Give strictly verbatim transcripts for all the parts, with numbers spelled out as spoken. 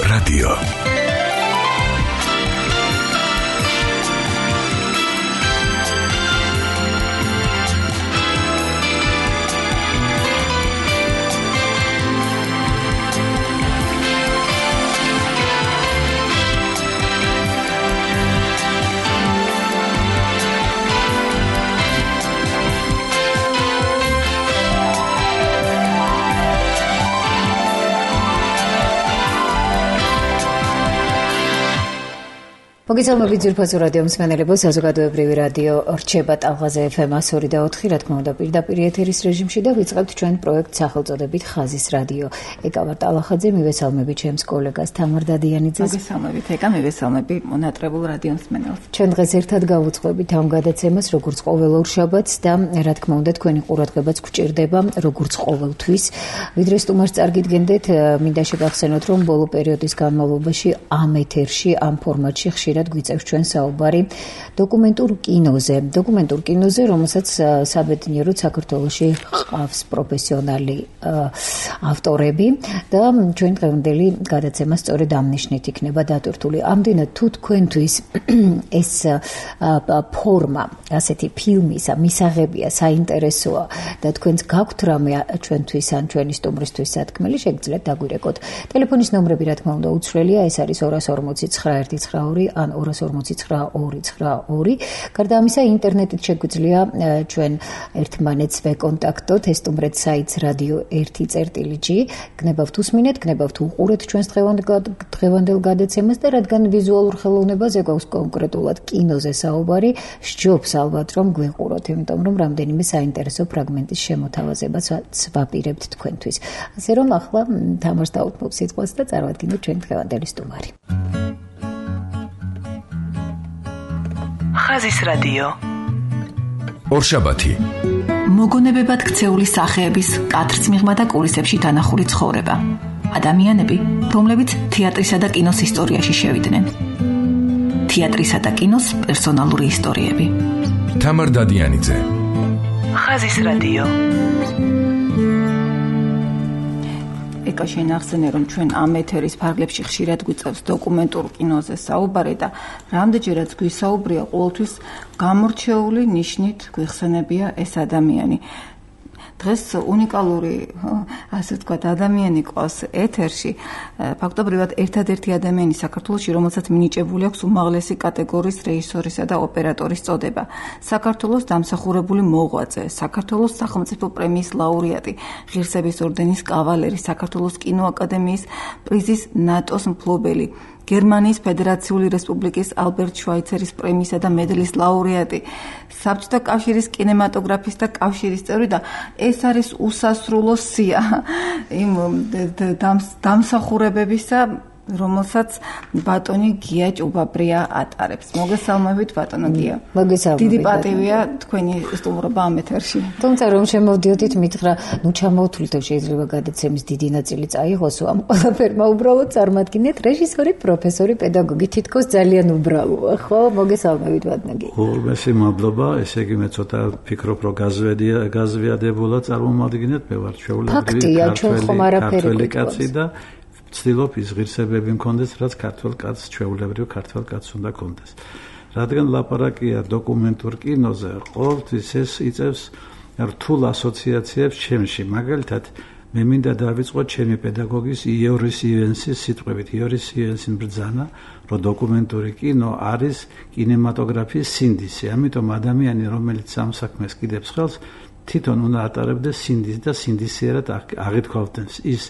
რადიო. მოგესალმებით ძირფასო რადიო მსმენელებო, საზოგადოებრივი რადიო რჩება ტალღაზე ეფ ემ one oh two point four, რა თქმა უნდა, პირდაპირ ეთერის რეჟიმში და ვიწყებთ ჩვენ პროექტ სახელწოდებით ხაზის რადიო. ეკა ვარ ტალახაძე, მივესალმები ჩემს კოლეგას თამარ დადიანიძეს. მოგესალმებით, ეკა, მივესალმები მონატრებულ რადიო მსმენელს. ჩვენ დღეს ერთად გავუძღვებით ამ გადაცემას, როგორც ყოველ ორშაბათს და რა თქმა უნდა, თქვენი ყურადღებაც გვჭირდება, როგორც ყოველთვის. ვიდრე სტუმარს წარგიდგენდეთ, მინდა შეგახსენოთ, რომ ბოლო პერიოდის განმავლობაში ამ ეთერში, ამ ფორმატში ხშირად გვიწევს ჩვენ საუბარი დოკუმენტურ კინოზე. დოკუმენტურ კინოზე, რომელსაც საბედნიეროდ საქართველოში ყავს პროფესიონალი ავტორები და ჩვენ დღევანდელი გადაცემა სწორედ ამ ნიშნით იქნება დატვირთული. ამდენად თუ თქვენთვის ეს ფორმა, ასეთი ფილმისა, მისაღებია, საინტერესოა და თქვენს გაქვთ რამე ჩვენთვის ან ჩვენი სტუმრისთვის სათქმელი, შეგიძლიათ დაგვირეკოთ. ტელეფონის ნომრები, რა თქმა უნდა, უცვლელია, ეს არის two forty-nine one ninety-nine ან two forty-nine two ninety-two. გარდა ამისა, ინტერნეტით შეგვიძლია ჩვენ ერთმანეთს ვეკონტაქტოთ, ეს სტუმრეთ საიტს რადიო one წერტილი ჯი. გნებავთ უსმინეთ, გნებავთ უყურეთ ჩვენს დღევანდელ გადაცემას და რადგან ვიზუალურ ხელოვნებაზე გვაქვს კონკრეტულად კინოზე საუბარი, სჯობს ალბათ რომ გვიყუროთ, იმიტომ რომ რამდენიმე საინტერესო ფრაგმენტის შემოთავაზებას ვაპირებთ თქვენთვის. ასე რომ ახლა თამარს დაუთმობ სიტყვას და წარვადგინოთ ჩვენ დღევანდელი სტუმარი. ხაზის რადიო. ორშაბათი. მოგონებებად ქცეული სახეების კადრს მიღმა და კულისებში დანახული ცხოვრება. ადამიანები, რომლებიც თეატრისა და კინოს ისტორიაში შევიდნენ. თეატრისა და კინოს პერსონალური ისტორიები. თამარ დადიანიძე. ხაზის რადიო. ეკა შენახსენე, რომ ჩვენ ამ ეთერის ფარგლებში ხშირად გვიწევს დოკუმენტურ კინოზე საუბარი და რამდენჯერაც გვისაუბრია, ყოველთვის გამორჩეული ნიშნით გვიხსენებია ეს ადამიანი. დღეს უნიკალური, ასე ვთქვათ, ადამიანი ყავს ეთერში, ფაქტობრივად ერთადერთი ადამიანი საქართველოში, რომელსაც მინიჭებული აქვს უმაღლესი კატეგორიის რეჟისორისა და ოპერატორის წოდება. საქართველოს დამსახურებული მოღვაწე, საქართველოს სახელმწიფო პრემიის ლაურეატი, ღირსების ორდენის კავალერი, საქართველოს კინოაკადემიის პრიზის ნატოს მფლობელი, გერმანიის ფედერაციული რესპუბლიკის ალბერტ შვაიცერის პრემიისა და მედლის ლაურეატი, საბჭოთა კავშირის კინემატოგრაფისტთა კავშირის წევრი და ეს არის უსასრულო სია იმ დამსახურებებისა, რომელსაც ბატონი გია ჭუბაბრია ატარებს. მოგესალმებით ბატონო გია. მოგესალმებით. დიდი პატივია თქვენი სტუმრობა ამ ეთერში. თუმცა რომ შემოვდიოდით, მითხრა, ნუ ჩამოვთვლით, შეიძლება გადაცემის დიდი ნაწილი წაიღოსო, ამ ყველაფერმა უბრალოდ წარმატგინეთ რეჟისორი, პროფესორი, პედაგოგი, თითქოს ძალიან უბრალოა, ხო? მოგესალმებით ბატონო გია. ორმესი მადლობა, ესე იგი მე ცოტა ფიქრობ, რომ გაზვედია, გაზვიადებულად წარმომადგენთ, მე ვარ ჩვეულებრივი ქართველი კაცი და ვცდილობ ის ღირსებები მქონდეს, რაც ქართველ კაცს, ჩვეულებრივ ქართველ კაცს უნდა ქონდეს. რადგან ლაპარაკია დოკუმენტურ კინოზე, ყოველთვის ეს იწევს რთულ ასოციაციებს ჩემში. მაგალითად, მე მინდა დავიწყო ჩემი პედაგოგის იორის ივენსის სიტყვებით. იორის ივენსი ბრძანა, რომ დოკუმენტური კინო არის კინემატოგრაფიის სინდისი. ამიტომ ადამიანი, რომელიც ამ საქმეს კიდებს ხელს, თვითონ უნდა ატარებდეს სინდისს და სინდისიერად აღითქვალდეს ის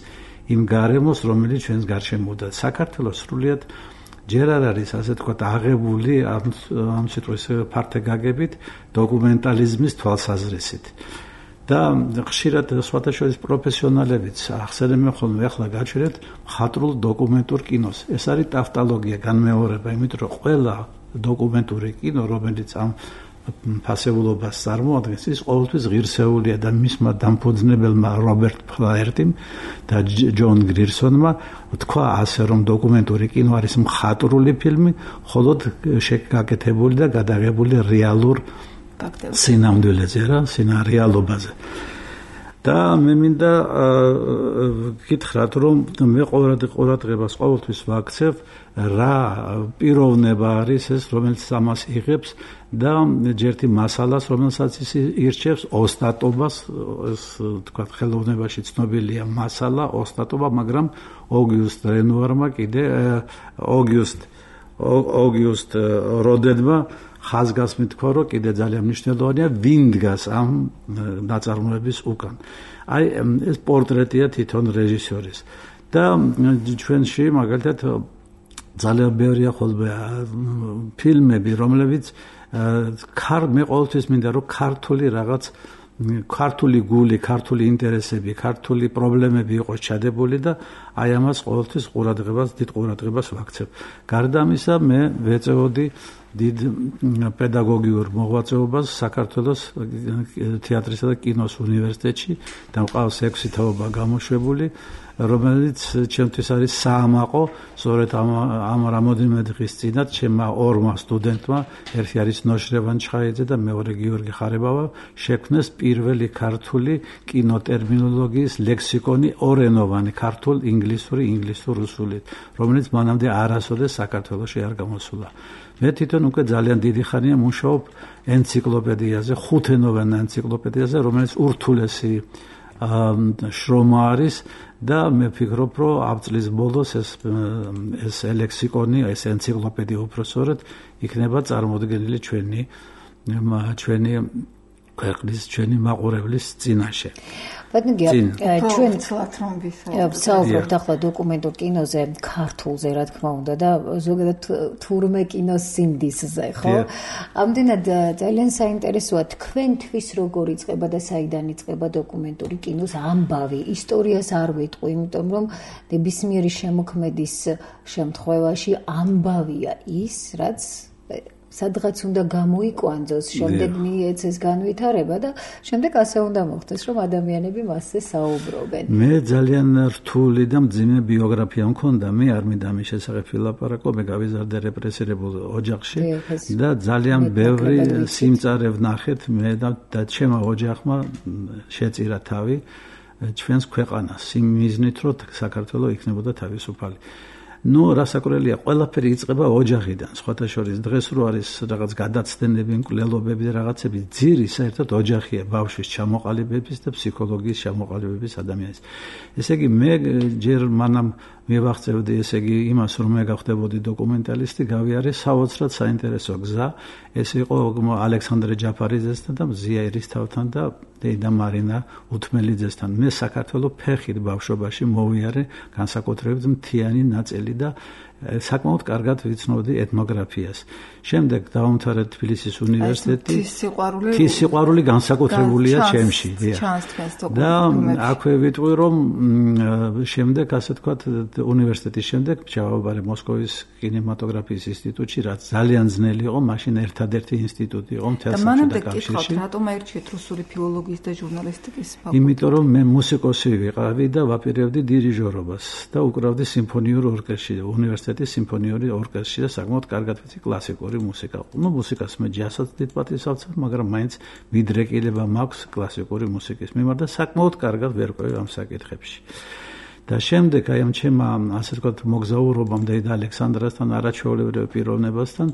იმ გარემოს, რომელიც ჩვენს გარშემოა. საქართველოს სრულიად ჯერ არ არის, ასე ვთქვათ, აღებული ამ ამ სიტყვის ფართეგაგებით დოკუმენტალიზმის თვალსაზრისით. და ხშირად სხვათა შორის პროფესიონალებიც ახსენებენ ხოლმე, ახლა გაჩვენეთ მხატვრულ დოკუმენტურ კინოს. ეს არის ტავტოლოგია, განმეორება, იმიტომ რომ ყველა დოკუმენტური კინო, რომელიც ამ ფასეულობას წარმოადგენს, ის ყოველთვის ღირსეულია და მისმა დამფუძნებელმა რობერტ ფლაერტიმ და ჯონ გრირსონმა თქვა ასე, რომ დოკუმენტური კინო არის მხატვრული ფილმი, მხოლოდ შეგაკეთებული და გადაღებული რეალურ სინამდვილეზე, რა, სინარეალობაზე. და მე მინდა გითხრათ, რომ მე ყურადღებას ყოველთვის ვაქცევ რა პიროვნება არის ეს, რომელიც ამას იღებს და ჯერთი მასალას, რომელსაც ის ირჩევს, ოსტატობას, ეს თქვა ხელოვნებაში ცნობილია მასალა, ოსტატობა, მაგრამ ოგიუსტ რენუარმა კიდე ოგიუსტ ოგიუსტ როდენმა ხაზგასმით თქვა, რომ კიდე ძალიან მნიშვნელოვანია ვინ დგას ამ ნაწარმოების უკან. აი ეს პორტრეტია თვითონ რეჟისორის და ჩვენში მაგალითად ძალიან ბევრია ხოლმე ფილმები, რომლებიც ქარ მე ყოველთვის მინდა რომ ქართული რაღაც ქართული გული, ქართული ინტერესები, ქართული პრობლემები იყოს ჩადებული და აი ამას ყოველთვის ყურადღებას, დიდ ყურადღებას ვაქცევ. გარდა ამისა, მე ვეწეოდი დიდ პედაგოგიურ მოღვაწეობას საქართველოს თეატრისა და კინოს უნივერსიტეტში და მყავს ექვსი თაობა გამოშვებული, რომელიც ჩემთვის არის საამაყო, სწორედ ამ ამ რამოდენიმე დღის წინათ ჩემმა ორმა სტუდენტმა, ერთი არის ნოშრევან ჩხაიძე და მეორე გიორგი ხარებავა, შექმნეს პირველი ქართული კინოტერმინოლოგიის ლექსიკონი ორენოვანი, ქართულ, ინგლისური, ინგლისურ-რუსული, რომელიც მანამდე არასოდეს საქართველოში არ გამოსულა. მე თვითონ უკვე ძალიან დიდი ხანია მუშაობ ენციკლოპედიაზე, ხუთენოვან ენციკლოპედიაზე, რომელიც ურთულესი შრომა არის და მე ვფიქრობ, რომ ამ წლის ბოლოს ეს ეს ლექსიკონი, ეს ენციკლოპედია უпроსორად იქნება წარმოდგენილი ჩვენი ჩვენი ქვეყნის, ჩვენი მაყურებლის წინაშე. ბატონო, ჩვენ ვსაუბრობთ ახლა დოკუმენტურ კინოზე, ქართულზე, რა თქმა უნდა და ზოგადად თურმე კინოს სინდისზე, ხო? ამდენად ძალიან საინტერესოა თქვენთვის როგორ იწყება და საიდან იწყება დოკუმენტური კინოს ამბავი, ისტორიას არ ვიტყვი, იმიტომ რომ ნებისმიერი შემოქმედის შემთხვევაში ამბავია ის, რაც სადღაც უნდა გამოიკვანძოს, შემდეგ მიეცეს განვითარება და შემდეგ ასე უნდა მოხდეს, რომ ადამიანები მასზე საუბრობენ. მე ძალიან რთული და მძიმე ბიოგრაფია მქონდა, მე არ მინდა ამის შესახებ ვილაპარაკო, მე გავიზარდე რეპრესირებულ ოჯახში და ძალიან ბევრი სიმწარე ვნახეთ მე და ჩემო ოჯახმა შეწირა თავი ჩვენს ქვეყანას იმ მიზნით, რომ საქართველო იქნებოდა თავისუფალი. ნუ რასაკვირველია, ყველაფერი იწყება ოჯახიდან. სხვათა შორის დღეს რო არის რაღაც გადაცდენები, მკვლელობები და რაღაცები, ძირი საერთოდ ოჯახია, ბავშვის ჩამოყალიბების და ფსიქოლოგიის ჩამოყალიბების ადამიანის. ესე იგი, მე ჯერ მანამ მივახცევდი, ესე იგი, იმას, რომ მე გავხდებოდი დოკუმენტალისტი, გავიარე საოცრად საინტერესო გზა. ეს იყო ალექსანდრე ჯაფარიძესთან და მზია ერისთავთან და დეიდა მარინა უთმელიძესთან. მე საქართველოს ფეხით ბავშვობაში მოვიარე, განსაკუთრებით მთიანი ნაწილი და საკმაოდ კარგად ვიცნობდი ეთნოგრაფიას. შემდეგ დავამთავრე თბილისის უნივერსიტეტი. ეს სიყვარული ის სიყვარული განსაკუთრებულია ჩემში. და აქვე ვიტყვი, რომ შემდეგ, ასე ვთქვათ, უნივერსიტეტის შემდეგ ჩავაბარე მოსკოვის კინემატოგრაფიის ინსტიტუტში, რაც ძალიან ძნელი იყო, მაშინ ერთადერთი ინსტიტუტი იყო მთელსა და კავშირში. რატომ აირჩიეთ რუსული ფილოლოგიის და ჟურნალისტიკის ფაკულტეტი? იმიტომ რომ მე მუსიკოსი ვიყავი და ვაპირებდი დირიჟორობას და უკრავდი სიმფონიურ ორკესტრში, უნივერსიტეტის სიმფონიური ორკესტრში და საკმაოდ კარგად ვიცი კლასიკური მუსიკა. ნუ მუსიკას მე ჯაზსაც დიდ პატივსავწევ, მაგრამ მაინც მიდრეკილება მაქვს კლასიკური მუსიკის მიმართ და საკმაოდ კარგად ვერკვევი ამ საკითხებში. და შემდეგ აი ამ ჩემმა, ასე ვთქვათ, მოგზაურობამ და ალექსანდრასთან არაჩვეულებრივ პიროვნებასთან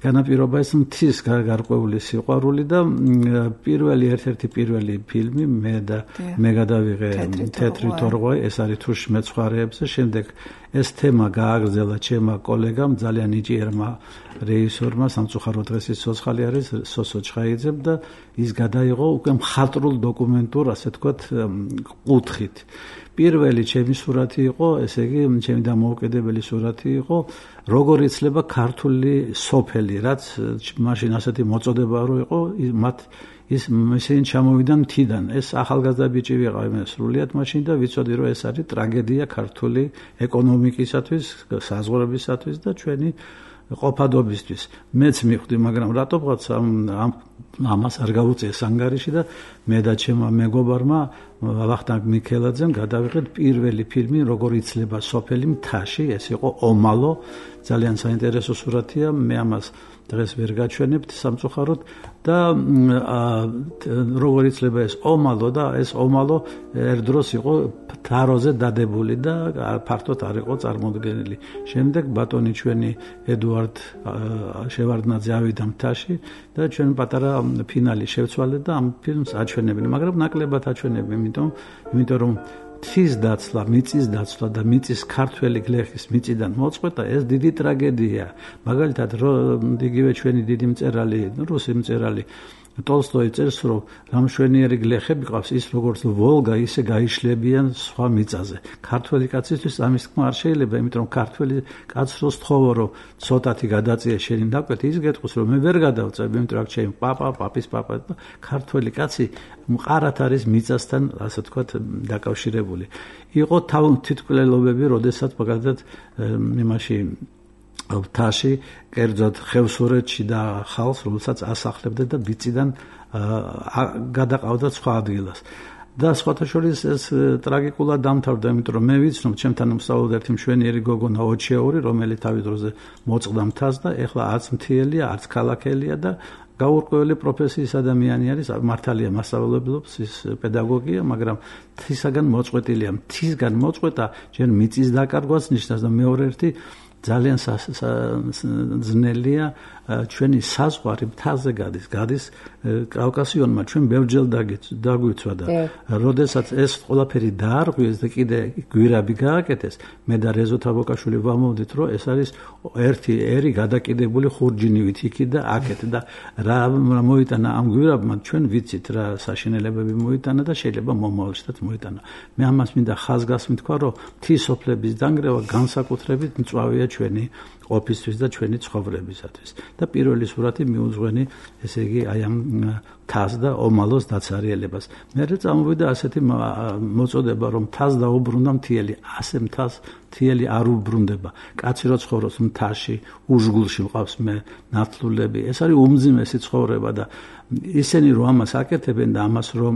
განაპირობა ეს მთის გარკვეული სიყვარული და პირველი ერთ-ერთი პირველი ფილმი მე და მე გადავიღე თეთრი თორღვაი, ეს არის თუშ მეცხვარეებზე. შემდეგ ეს თემა გააგრძელა ჩემმა კოლეგამ, ძალიან ნიჭიერმა რეჟისორმა, სამწუხაროდ დღეს ის ცოცხალი არის, სოსო ჩხაიძემ და ის გადაიღო უკვე მხატვრულ დოკუმენტურ, ასე ვთქვათ, კუთხით. პირველი ჩემი სურათი იყო, ესე იგი, ჩემი დამოუკიდებელი სურათი იყო, როგორ იცლება ქართული სოფელი, რაც მაშინ ასეთი მოწოდება რო იყო, მათ ის ისინი ჩამოვიდნენ მთიდან. ეს ახალგაზრდა ბიჭი ვიყავი მე სრულიად მაშინ და ვიცოდი, რომ ეს არის ტრაგედია ქართული ეკონომიკისათვის, საზღვრებისათვის და ჩვენი ყოფადობისთვის. მეც მივხვდი, მაგრამ რატომღაც ამ ამას არ გავუწიეს ანგარიში და მე და ჩემმა მეგობარმა ვახტანგ მიქელაძემ გადავიღეთ პირველი ფილმი როგორ იცლება სოფელი მთაში, ეს იყო ომალო, ძალიან საინტერესო სურათია, მე ამას დღეს ვერ გაჩვენებთ სამწუხაროდ და როგორ იცლება ეს ომალო და ეს ომალო ერთდროს იყო თაროზე დადებული და ფართოდ არ იყო წარმოდგენილი. შემდეგ ბატონი ჩვენი ედუარდ შევარდნაძე ავიდა მთაში და ჩვენ პატარა ფინალი შევცვალეთ და ამ ფილმს აჩვენებდნენ, მაგრამ ნაკლებად აჩვენებდნენ, იმიტომ იმიტომ რომ მთის დაცლა, მიწის დაცლა და მიწის ქართველი გლეხის მიწიდან მოწყვეტა ეს დიდი ტრაგედია. მაგალითად, იგივე ჩვენი დიდი მწერალი, რუსი მწერალი ტოლსტოი წერს, რომ რამშვენიერი გლეხები ყავს, ის როგორც ვოლგა, ისე გაიშლებიან სხვა მიწაზე. ქართველი კაცისთვის ამის თქმა არ შეიძლება, იმიტომ რომ ქართველი კაცს რო სთხოვო, რომ ცოტათი გადაწიე შენი დაკვეთი, ის გეტყვის, რომ მე ვერ გადავწევ, იმიტომ რომ ჩემი პაპა, პაპის პაპა და ქართველი კაცი მყარად არის მიწასთან, ასე ვთქვათ, დაკავშირებული. იყო თვითმკვლელობები, როდესაც მაგალითად იმაში მთაში, კერძოდ ხევსურეთში და ხალხს, რომელსაც ასახლებდა და ბიწიდან გადაყავდა სხვა ადგილას. და სხვათა შორის ეს ტრაგიკულად დამთავრდა, იმიტომ რომ მე ვიცნობ, ჩემთან უსწავლოდ ერთი მშვენიერი გოგონა ოჩეური, რომელიც თავის დროზე მოწყდა მთას და ეხლა არც მთიელია, არც ქალაქელია და გაურკვეველი პროფესიის ადამიანი არის, მართალია მასწავლებლობს, ის პედაგოგია, მაგრამ მთისაგან მოწყვეტილია. მთისგან მოწყვეტა ჯერ მიწის დაკარგვას ნიშნავს და მეორე ერთი ძალიან ძნელია ჩვენი საზღვარი მთაზე გადის, გადის კავკასიონმა ჩვენ ბევრჯერ დაგვიცვა და როდესაც ეს ყველაფერი დაარღვიეს და კიდე გვირაბი გააკეთეს, მე და რეზო თაბოკაშვილი ვამოვდით, რომ ეს არის ერთი ერი გადაკიდებული ხურჯინივით იქით და აქეთ და რა მოიტანა ამ გვირაბმა, ჩვენ ვიცით რა საშინელებები მოიტანა და შეიძლება მომავალშიც მოიტანა. მე ამას მინდა ხაზგასმით თქვა, რომ მთისოფლების დანგრევა განსაკუთრებით მწვავეა ჩვენი ოფისთვის და ჩვენი ცხოვრებისათვის. და პირველი სურათი მიუძღვენი, ესე იგი, აი ამ თას და ომალოს დაცარიელებას. მე წამოვიდა ასეთი მოწოდება, რომ თას დაუბრუნდა მთიელი, ასე მთას მთიელი არ უბრუნდება. კაცი რო ცხოვრობს მთაში, უჟგულში მყავს მე ნათლულები, ეს არის უმძიმესი ცხოვრება და ისინი რომ ამას აკეთებენ და ამას რომ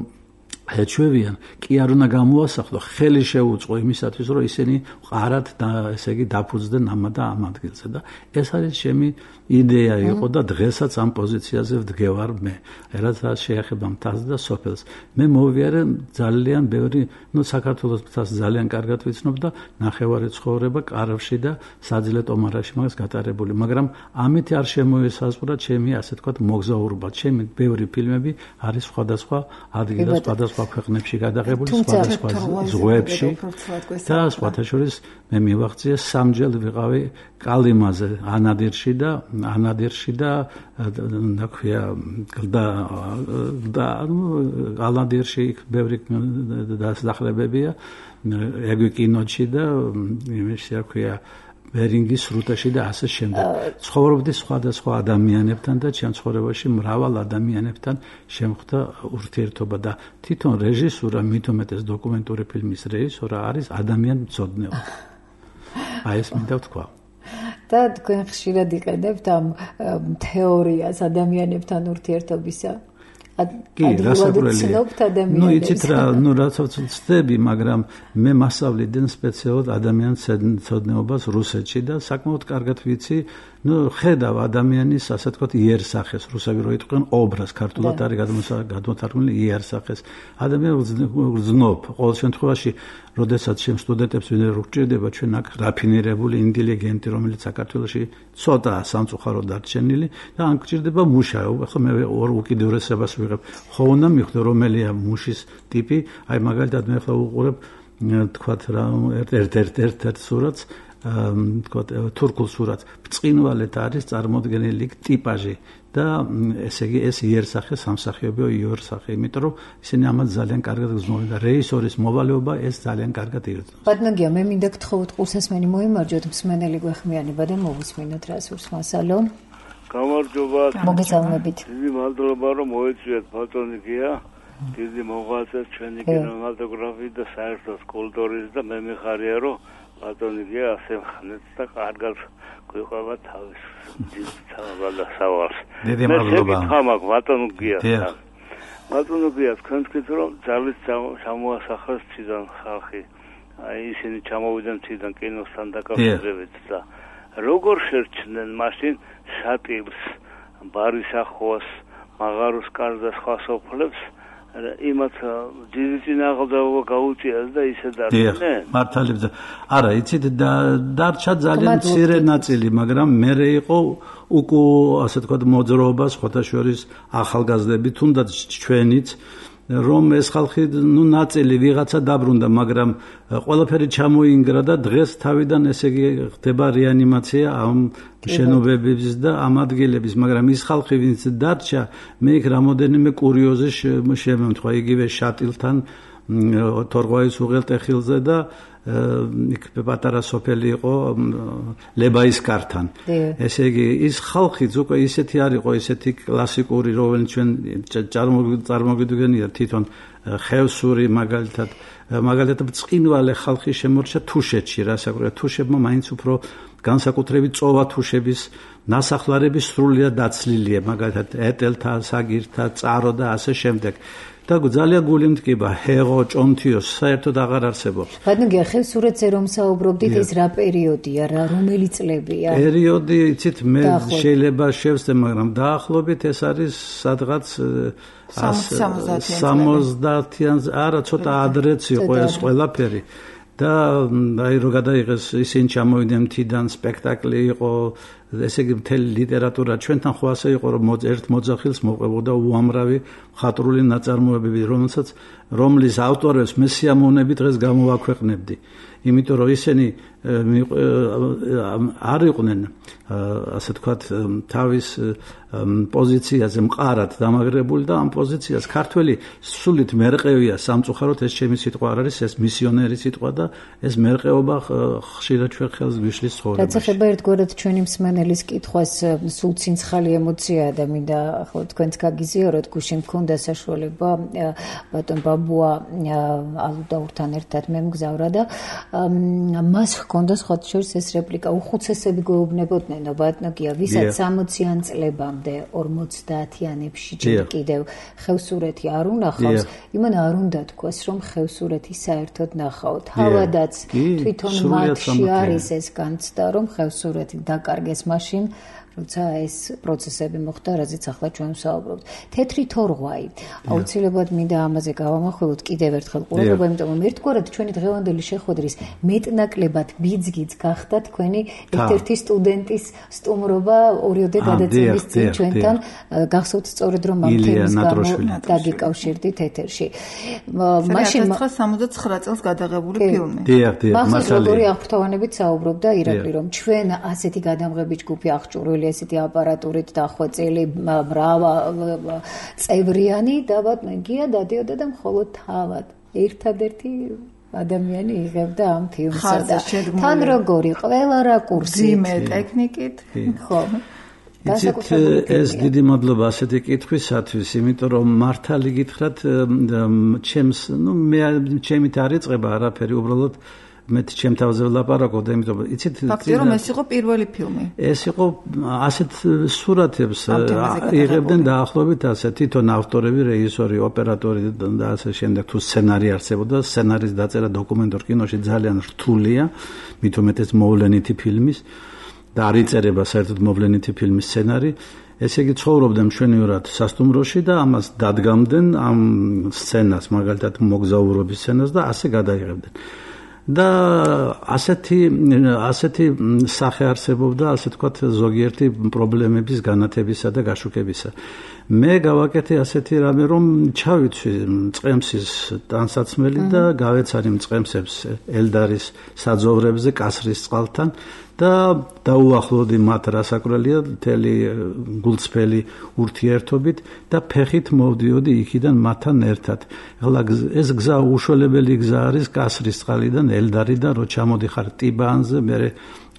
ეჩვევიან, კი არ უნდა გამოასახლო, ხელი შეუწყო იმისათვის, რომ ისინი ყარად და ესე იგი დაფუძდნენ ამა და ამ ადგილზე და ეს არის ჩემი იდეა იყო და დღესაც ამ პოზიციაზე ვდგევარ მე. რაც შეეხება მთას და სოფელს. მე მოვიარე ძალიან ბევრი, ну საქართველოს მთას ძალიან კარგად ვიცნობ და ნახევარი ცხოვრება კარავში და საძილე ტომარაში მაგას გატარებული, მაგრამ ამით არ შემოესაზღვრა ჩემი, ასე ვთქვათ, მოგზაურობა. ჩემი ბევრი ფილმები არის სხვადასხვა ადგილას, სხვადასხვა ქვეყნებში გადაღებული, სხვადასხვა ზღვებში და სხვათა შორის მე მივაღწიე სამჯერ ვიყავი კალიმაზე, ანადირში და ანადირში და რა ქვია და და ანადირში ბევრი დასახლებებია, ეგვი კინოჩი და იმაში რა ქვია ბერინგის სრუტეში და ასე შემდეგ. ცხოვრობდი სხვადასხვა ადამიანებთან და ჩემ ცხოვრებაში მრავალ ადამიანებთან შემხვდა ურთიერთობა და თვითონ რეჟისურა, მით უმეტეს დოკუმენტური ფილმის რეჟისურა არის ადამიანმცოდნეობა. აი ეს მინდა ვთქვა. და თქვენ ხშირად იყენებთ ამ თეორიას ადამიანებთან ურთიერთობისა? კი, რასაკვირველია. ნუ იცით რა, ნუ რასაც ვწდები, მაგრამ მე მასწავლიდან სპეციალურად ადამიანის მცოდნეობას რუსეთში და საკმაოდ კარგად ვიცი, ნუ ხედავ ადამიანის, ასე ვთქვათ, იერსახეს, რუსები რო იტყვიან ობრას, ქართულად არის გადმოთარგმნილი იერსახეს. ადამიანს გრძნობ, ყოველ შემთხვევაში, როდესაც ჩემ სტუდენტებს ვინმე რო გჭირდება, ჩვენ აქ რაფინირებული ინტელიგენტი, რომელიც საქართველოში ცოტა სამწუხაროდ დარჩენილი და ან გჭირდება მუშა, ახლა მე ორ უკიდურესებას ვიღებ. ხო უნდა მივხვდე რომელია მუშის ტიპი, აი მაგალითად მე ახლა უყურებ, თქვათ რა, ერთ-ერთ სურათს, თქვათ თურქულ სურათს, ბრწყინვალეთ არის წარმოდგენილი ტიპაჟი და ესე იგი ეს იერსახე სამსახიობო იერსახე, იმიტომ რომ ისინი ამას ძალიან კარგად გრძნობენ და რეჟისორის მოვალეობა ეს ძალიან კარგად იგრძნობს. ბატონგია, მე მინდა გთხოვოთ ყურსასმენი მოიმარჯვოთ, მსმენელი გვეხმიანება და მოვუსმინოთ რა სურს მასალო. გამარჯობა. მოგესალმებით. დიდი მადლობა რომ მოეწვიათ ბატონგია. დიდი მოღვაწე ჩვენი კინემატოგრაფიის და საერთოდ კულტურის და მე მიხარია რომ ბატონგია ასე ხნეთ და კარგად გვიყვება თავის დიდ სავალს. დიდი მადლობა. მე ხამაკ ბატონგია. ბატონო გია თქვენ თქვით რომ ძალით ჩამოასახლეს ციდან ხალხი აი ისინი ჩამოვიდნენ ციდან კინოსთან დაკავშირებით და როგორ შერჩნენ მაშინ შატილს ბარის ახოს მაღაროს კარს და სხვა სოფლებს იმათ ძირითინ აღზავა გაუწიას და ისე დარჩნენ მართალებს არა იცით დარჩა ძალიან მცირე ნაწილი მაგრამ მერე იყო უკუ ასე თქვა მოძრაობა სხვათა შორის ახალგაზრდები თუნდაც ჩვენიც რომ ეს ხალხი ნუ ნაწილი ვიღაცა დაბრუნდა მაგრამ ყველაფერი ჩამოინგრა და დღეს თავიდან ესე იგი ხდება რეანიმაცია ამ შენობების და ამ ადგილების მაგრამ ის ხალხი ვინც დარჩა მე იქ რამოდენიმე კურიოზი შემემთხვა იგივე შატილთან თორღვაის უღელტეხილზე და იქ პატარა სოფელი იყო ლებაის კართან ესე იგი ის ხალხიც უკვე ისეთი არ იყო ისეთი კლასიკური რომელიც ჩვენ წარმოგიდგენია თვითონ ხევსური მაგალითად მაგალითად წინვალე ხალხი შემორჩა თუშეთში რასაკვირველია თუშებმა მაინც უფრო განსაკუთრებით წოვა თუშების ნასახლარების სრულიად დაცლილია მაგალითად ეტელთა საგირთა წარო და ასე შემდეგ და ძალიან გული მткиბა ჰეღო ჭონთიო საერთოდ აღარ არსებობს. ბატონო ხევსურეთზე რომ საუბრობდით ეს რა პერიოდია რა რომელი წლებია? პერიოდი იცით მე შეიძლება შევსდე მაგრამ დაახლოებით ეს არის სადღაც სამოცდაათიან არა ცოტა ადრეც იყო ეს ყველაფერი და აი რო გადაიღეს ისინი ჩამოვიდნენ თიდან სპექტაკლი იყო ესე იგი მთელი ლიტერატურა ჩვენთან ხო ასე იყო რომ ერთ მოძახილს მოყვებოდა უამრავი მხატვრული ნაწარმოებები რომელსაც რომლის ავტორებს მე სიამოვნებით დღეს გამოვაქვეყნებდი იმიტომ რომ ისინი არ იყვნენ ასე თქვათ თავის პოზიციაზე მყარად დამაგრებული და ამ პოზიციას ქართველი სულით მერყევია სამწუხაროდ ეს ჩემი სიტყვა არ არის ეს მისიონერი სიტყვა და ეს მერყეობა ხშირად ჩვენ ხელს გვიშლის ცხოვრებაში. რაც ეხება ერთგვარად ჩვენი მსმენელის კითხვას სულ ცინცხალი ემოციაა და მინდა ახლა თქვენც გაგიზიაროთ გუშინ მქონდა საშუალება ბატონ ბაბუა ალუდაურთან ერთად მე მგზავრა და მას ჰქონდა სხვა შორის ეს რეპლიკა უხუცესები გვეუბნებოდნენ ბატონო გია ვისაც სამოციან წლებამდე ორმოცდაათიანებში ჯერ კიდევ ხევსურეთი არ უნახავს იმან არ უნდა თქვას რომ ხევსურეთი საერთოდ ნახავთ თავადაც თვითონ მათში არის ეს განცდა რომ ხევსურეთი დაკარგეს მაშინ როცა ეს პროცესები მოხდა, რაზეც ახლა ჩვენ ვსაუბრობთ. თეთრი თორღვაი. აუცილებლად მინდა ამაზე გავამახვილოთ კიდევ ერთხელ ყურადღება, იმიტომ რომ ერთგვარად ჩვენი დღევანდელი შეხვედრის მეტნაკლებად ბიძგიც გახდა თქვენი ერთ-ერთი სტუდენტის სტუმრობა ორიოდე გადაცემის წინ ჩვენთან. გახსოვთ სწორედ რომ ამ თემის გამო დაგიკავშირდით ეთერში. მაშინ სამოცდაცხრა წელს გადაღებული ფილმი. დიახ, დიახ, მასალე როგორი აღფრთოვანებით საუბრობდა ირაკლი რომ ჩვენ ასეთი გადამღები ჯგუფი აღჭურვილი ესეთი აპარატურით დახვეწილი მრავა წევრიანი და ბატონგია დადიოდა და მხოლოდ თავად ერთადერთი ადამიანი იღებდა ამ ფილმსა და თან როგორი ყველა რაკურსით ძიმე ტექნიკით ხო ეს დიდი მადლობა ასეთი კითხვისათვის იმიტომ რომ მართალი გითხრათ ჩემს ნუ მე ჩემით არ იწყება არაფერი უბრალოდ მე ჩემ თავზე ვლაპარაკობ და იმიტომ იცით ფაქტია რომ ეს იყო პირველი ფილმი ეს იყო ასეთ სურათებს იღებდნენ დაახლოებით ასე თვითონ ავტორები რეჟისორი ოპერატორი და ასე შემდეგ თუ სცენარი არსებობდა სცენარის დაწერა დოკუმენტურ კინოში ძალიან რთულია მით უმეტეს მოვლენითი ფილმის და არ იწერება საერთოდ მოვლენითი ფილმის სცენარი ესე იგი ცხოვრობდნენ მშვენივრად სასტუმროში და ამას დადგამდნენ ამ სცენას მაგალითად მოგზაურობის სცენას და ასე გადაიღებდნენ და ასეთი ასეთი სახე არსებობდა ასე თქვათ ზოგიერთი პრობლემების განათებისა და გაშუქებისა მე გავაკეთე ასეთი რამე რომ ჩავიცვი წყემსის ტანსაცმელი და გავეცარი წყემსებს ელდარის საძოვრებზე კასრის წყალთან და დაუახლოვდი მათ რასაკვრელია მთელი გულწრფელი ურთიერთობით და ფეხით მოვდიოდი იქიდან მათთან ერთად. ეხლა ეს გზა უშველებელი გზა არის კასრის წყალიდან ელდარიდან რო ჩამოდიხარ ტიბანზე მე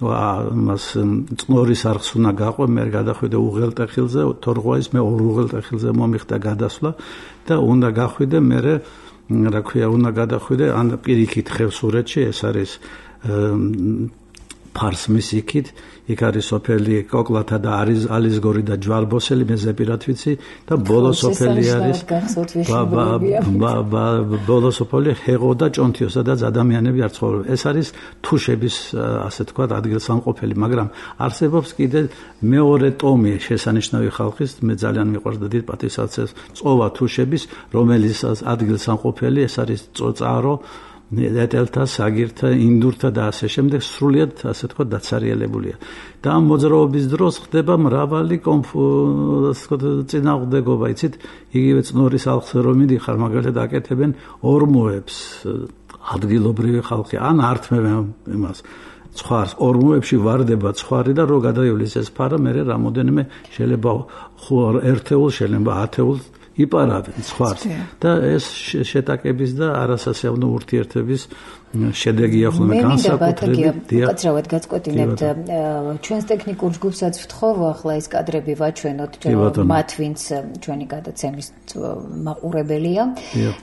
მას წნორის არხს უნდა გაყვე მე გადახვიდე უღელტეხილზე თორღვაის მე ორ უღელტეხილზე მომიხდა გადასვლა და უნდა გახვიდე მე რა ქვია უნდა გადახვიდე ან პირიქით ხევსურეთში ეს არის ფარსმის იქით, იქ არის სოფელი კოკლათა და არის ალისგორი და ჯვარბოსელი მეზეპირად ვიცი და ბოლო სოფელი არის ბოლო სოფელი ჰეღო და ჭონთიო, სადაც ადამიანები არ ცხოვრობენ. ეს არის თუშების, ასე თქვა, ადგილსამყოფელი, მაგრამ არსებობს კიდე მეორე ტომი შესანიშნავი ხალხის, მე ძალიან მიყვარს და დიდ პატივსაცემს წოვა თუშების, რომელიც ადგილსამყოფელი, ეს არის წოწარო, ეტელთა, საგირთა, ინდურთა და ასე შემდეგ, სრულიად ასე თქვა დაცარიელებულია. და ამ მოძრაობის დროს ხდება მრავალი წინააღმდეგობა, იცით, იგივე წნორის ალხზე რომ მიდიხარ, მაგალითად აკეთებენ ორმოებს, ადგილობრივი ხალხი, ან ართმევენ იმას ცხარს, ორმოებში ვარდება ცხარი და რო გადაივლის ეს ფარა, მერე რამოდენიმე შეიძლება ერთეულ, შეიძლება ათეულს იპარავენ ცხარს და ეს შეტაკების და არასასიამოვნო ურთიერთების შედეგია ხოლმე განსაკუთრებით. უკაცრავად გაწყვეტინებთ ჩვენს ტექნიკურ ჯგუფსაც ვთხოვ, ახლა ეს კადრები ვაჩვენოთ მათ, ვინც ჩვენი გადაცემის მაყურებელია.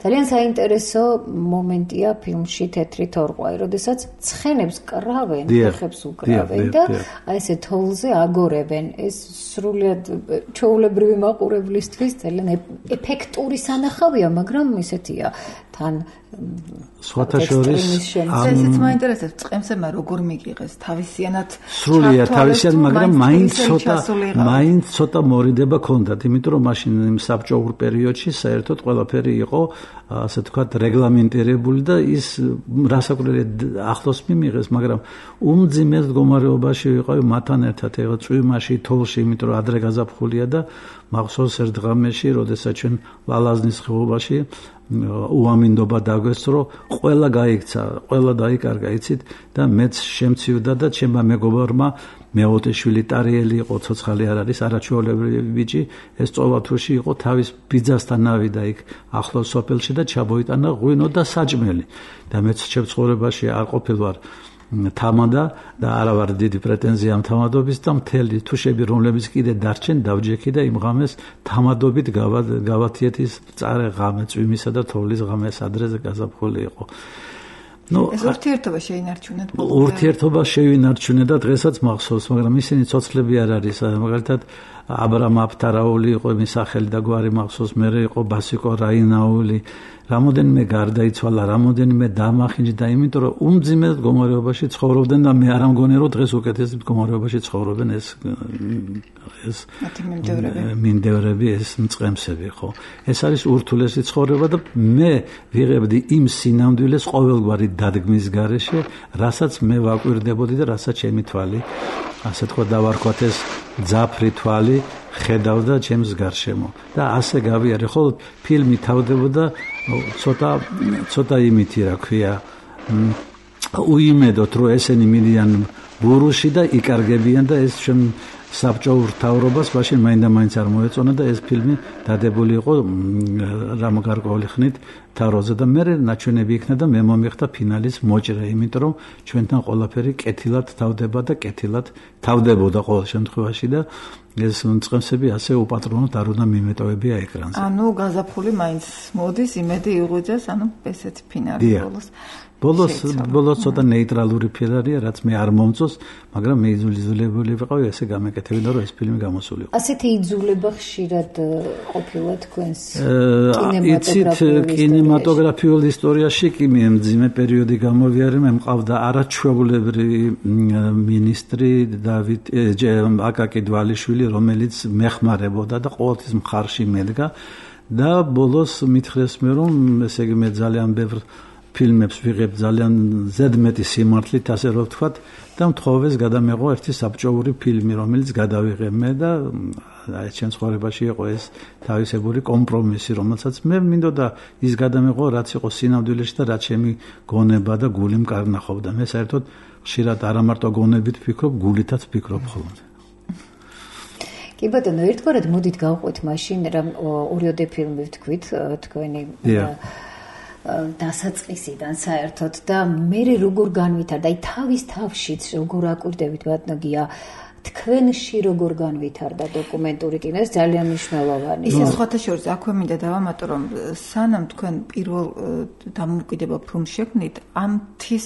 ძალიან საინტერესო მომენტია ფილმში თეთრი თორყვაი, როდესაც ცხენებს კრავენ, ფეხებს უკრავენ და აი ესე თოვლზე აგორებენ. ეს სრულიად ჩვეულებრივი მაყურებლისთვის ძალიან ეფექტური სანახავია, მაგრამ ისეთია თან სხვათა შორის ესეც მაინტერესებს, წყემსებმა როგორ მიგიღეს თავისიანად სრულიად თავისიან, მაგრამ მაინც ცოტა მაინც ცოტა მორიდება ქონდათ, იმიტომ რომ მაშინ იმ საბჭოურ პერიოდში საერთოდ ყველაფერი იყო ასე თქვათ რეგლამენტირებული და ის რასაკვირველია ახლოს მიმიღეს, მაგრამ უმძიმეს მდგომარეობაში ვიყავი მათთან ერთად ეგ წვიმაში, თოვლში, იმიტომ რომ ადრე გაზაფხულია და მახსოვს ერთ დღამეში, როდესაც ჩვენ ლალაზნის ხეობაში უამინდობა დაგვესწრო, ყველა გაიქცა, ყველა დაიკარგა, იცით, და მეც შემცივდა და ჩემმა მეგობარმა მეოთეშვილი ტარიელი იყო, ცოცხალი არ არის, არაჩვეულებრივი ბიჭი, ეს წოვა თუში იყო, თავის ბიძასთან ავიდა იქ ახლოს სოფელში და ჩაბოიტანა ღვინო და საჭმელი. და მეც ჩემ ცხოვრებაში არ ყოფილვარ თამადა და არა ვარ დიდი პრეტენზია ამ თამადობის და მთელი თუშები, რომლებიც კიდე დარჩენ, დავჯექი და იმ ღამეს თამადობით გავათიეთ ის წარე ღამე, წვიმისა და თოვლის ღამე, ადრეზე გაზაფხული იყო. ნუ ეს ურთიერთობა შეინარჩუნეთ ბოლომდე. ურთიერთობა შეინარჩუნეთ და დღესაც მახსოვს, მაგრამ ისინი ცოცხლები არ არის, მაგალითად აბრამ აფთარაული იყო მის სახელი და გვარი მახსოვს, მერე იყო ბასიკო რაინაული, რამოდენიმე გარდაიცვალა, რამოდენიმე დამახინჯდა, იმიტომ რომ უმძიმეს მდგომარეობაში ცხოვრობდნენ და მე არ ამგონი რომ დღეს უკეთეს მდგომარეობაში ცხოვრობენ ეს ეს მინდევრები, ეს მწყემსები, ხო. ეს არის ურთულესი ცხოვრება და მე ვიღებდი იმ სინამდვილეს ყოველგვარი დადგმის გარეშე, რასაც მე ვაკვირდებოდი და რასაც ჩემი თვალი, ასე თქვა დავარქვათ ეს ძაფრი თვალი ხედავდა ჩემს გარშემო და ასე გავიარე. ხოლო ფილმი თავდებოდა ცოტა ცოტა იმითი, რა ქვია, უიმედოთ რომ ესენი მიდიან ბურუში და იკარგებიან და ეს ჩვენ საბჭოურ მთავრობას მაშინ მაინდა-მაინც არ მოეწონა და ეს ფილმი დადებული იყო რამ გარკვეული ხნით თავროზე და მე ნაჩვენები იქნა და მე მომიხდა ფინალის მოჭრა, იმიტომ რომ ჩვენთან ყველაფერი კეთილად თავდება და კეთილად თავდებოდა ყოველ შემთხვევაში და ეს მწყემსები ასე უპატრონოდ არ უნდა მიმეტოვებია ეკრანზე. ანუ გაზაფხული მაინც მოდის, იმედი იღუძეს, ანუ ესეთი ფინალი ბოლოს. ბოლოს ბოლოს ცოტა ნეიტრალური ფილარია, რაც მე არ მომწონს, მაგრამ მე იძულებული ვიყავი ესე გამეკეთებინა, რომ ეს ფილმი გამოსულიყო. ასეთი იძულება ხშირად ყოფილა თქვენს კინემატოგრაფიულ ისტორიაში კი მე მძიმე პერიოდი გამოვიარე, მე მყავდა არაჩვეულებრივი მინისტრი დავით აკაკი დვალიშვილი, რომელიც მეხმარებოდა და ყოველთვის მხარში მედგა და ბოლოს მითხრეს მე რომ ესე იგი მე ძალიან ბევრ ფილმებს ვიღებ ძალიან ზედმეტი სიმართლით, ასე რომ ვთქვათ, და მთხოვეს გადამეღო ერთი საბჭოური ფილმი, რომელიც გადავიღე მე და აი ჩემ ცხოვრებაში იყო ეს თავისებური კომპრომისი, რომელსაც მე მინდოდა ის გადამეღო, რაც იყო სინამდვილეში და რაც ჩემი გონება და გული მკარნახობდა. მე საერთოდ ხშირად არა მარტო გონებით ვფიქრობ, გულითაც ვფიქრობ ხოლმე. კი ბატონო, ერთგვარად მოდით გავყვეთ მაშინ რა ორიოდე ფილმი ვთქვით თქვენი დასაწყისიდან საერთოდ და მე როგორ განვითარდა, აი თავის თავშიც როგორ აკვირდებით ბატონო გია თქვენში როგორ განვითარდა დოკუმენტური კინო? ეს ძალიან მნიშვნელოვანია. ისე სხვათა შორის აქვე მინდა დავამატო, რომ სანამ თქვენ პირველ დამოუკიდებელ ფილმს შექმნით, ამ თის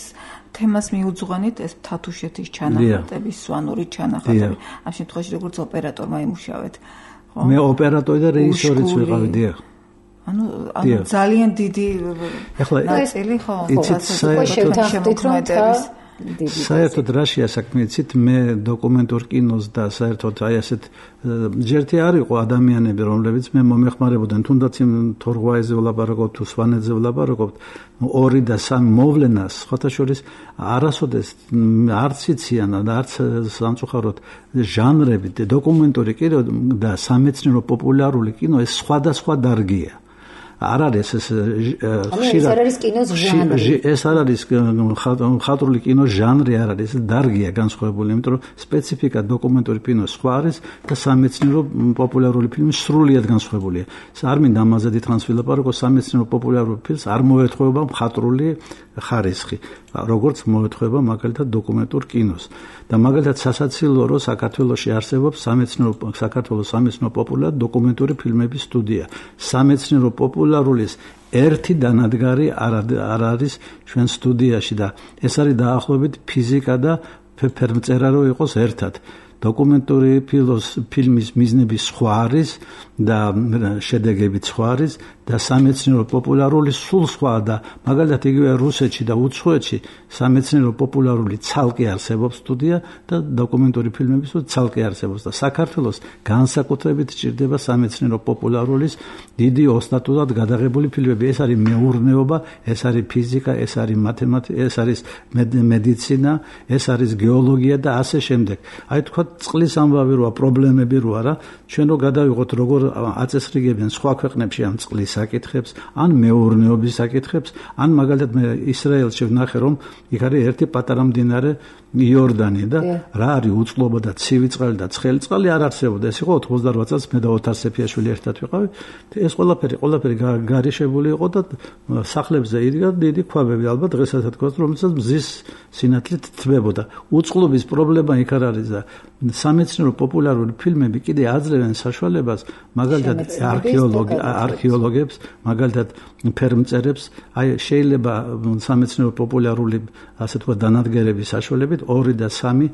თემას მიუძღვანით ეს თათუშეთის ჩანახატები, სვანური ჩანახატები. ამ შემთხვევაში როგორც ოპერატორმა იმუშავეთ, ხო? მე ოპერატორი და რეჟისორიც ვიყავი, დიახ. ანუ ანუ ძალიან დიდი ნაწილი ხო, შევთანხმდით, რომ საერთოდ რაშია საქმე, იცით, მე დოკუმენტურ კინოს და საერთოდ აი ასეთ ჯერთი არ იყო ადამიანები, რომლებიც მე მომეხმარებოდნენ, თუნდაც იმ თორღვაიზე ვლაპარაკობთ თუ სვანეთზე ვლაპარაკობთ, ორი და სამი მოვლენას, სხვათა შორის არასოდეს არც იციან და არც სამწუხაროდ ჟანრები, დოკუმენტური კინო და სამეცნიერო პოპულარული კინო ეს სხვადასხვა დარგია. არ არის ეს ხშირად ეს არის კინოს ჟანრი. ეს არ არის მხატვრული კინოს ჟანრი, არ არის, ეს დარგია განსხვავებული, იმიტომ რომ სპეციფიკა დოკუმენტური კინოს სხვა არის და სამეცნიერო პოპულარული ფილმი სრულიად განსხვავებულია. არ მინდა ამაზე დიდხანს ვილაპარაკო, სამეცნიერო პოპულარული ფილმს არ მოეთხოვება მხატვრული ხარისხი, როგორც მოეთხოვება მაგალითად დოკუმენტურ კინოს. და მაგალითად სასაცილოა, რომ საქართველოში არსებობს სამეცნიერო საქართველოს სამეცნიერო პოპულარული დოკუმენტური ფილმების სტუდია. სამეცნიერო პოპულარულის ერთი დანადგარი არ არის ჩვენ სტუდიაში და ეს არის დაახლოებით ფიზიკა და ფერმწერა რო იყოს ერთად. დოკუმენტური ფილმის მიზნები სხვა არის და შედეგები სხვა არის და სამეცნიერო პოპულარული სულ სხვა და მაგალითად იგივე რუსეთში და უცხოეთში სამეცნიერო პოპულარული ცალკე არსებობს სტუდია და დოკუმენტური ფილმების ცალკე არსებობს და საქართველოს განსაკუთრებით ჭირდება სამეცნიერო პოპულარულის დიდი ოსტატურად გადაღებული ფილმები. ეს არის მეურნეობა, ეს არის ფიზიკა, ეს არის მათემატიკა, ეს არის მედიცინა, ეს არის გეოლოგია და ასე შემდეგ. აი თქვა წყლის ამბავი როა, პრობლემები როა რა, ჩვენ რო გადავიღოთ როგორ აწესრიგებენ სხვა ქვეყნებში ამ წყლის საკითხებს, ან მეურნეობის საკითხებს, ან მაგალითად მე ისრაელში ვნახე, რომ იქ არის ერთი პატარა მდინარე იორდანი და რა არის უწყლობა და ცივი წყალი და ცხელი წყალი არ არსებობდა. ეს იყო ოცდაოთხ წელს მე და ოთარ სეფიაშვილი ერთად ვიყავი. ეს ყველაფერი ყველაფერი გარიშებული იყო და სახლებზე იდგა დიდი ქვაბები, ალბათ დღესაც თქვათ, რომელსაც მზის სინათლით თბებოდა. უწყლობის პრობლემა იქ არ არის და სამეცნიერო პოპულარული ფილმები კიდე აძლევენ საშუალებას მაგალითად არქეოლოგი არქეოლოგებს, მაგალითად ფერმწერებს, აი შეიძლება სამეცნიერო პოპულარული ასე თქვა დანადგარების საშუალებით ორი და სამი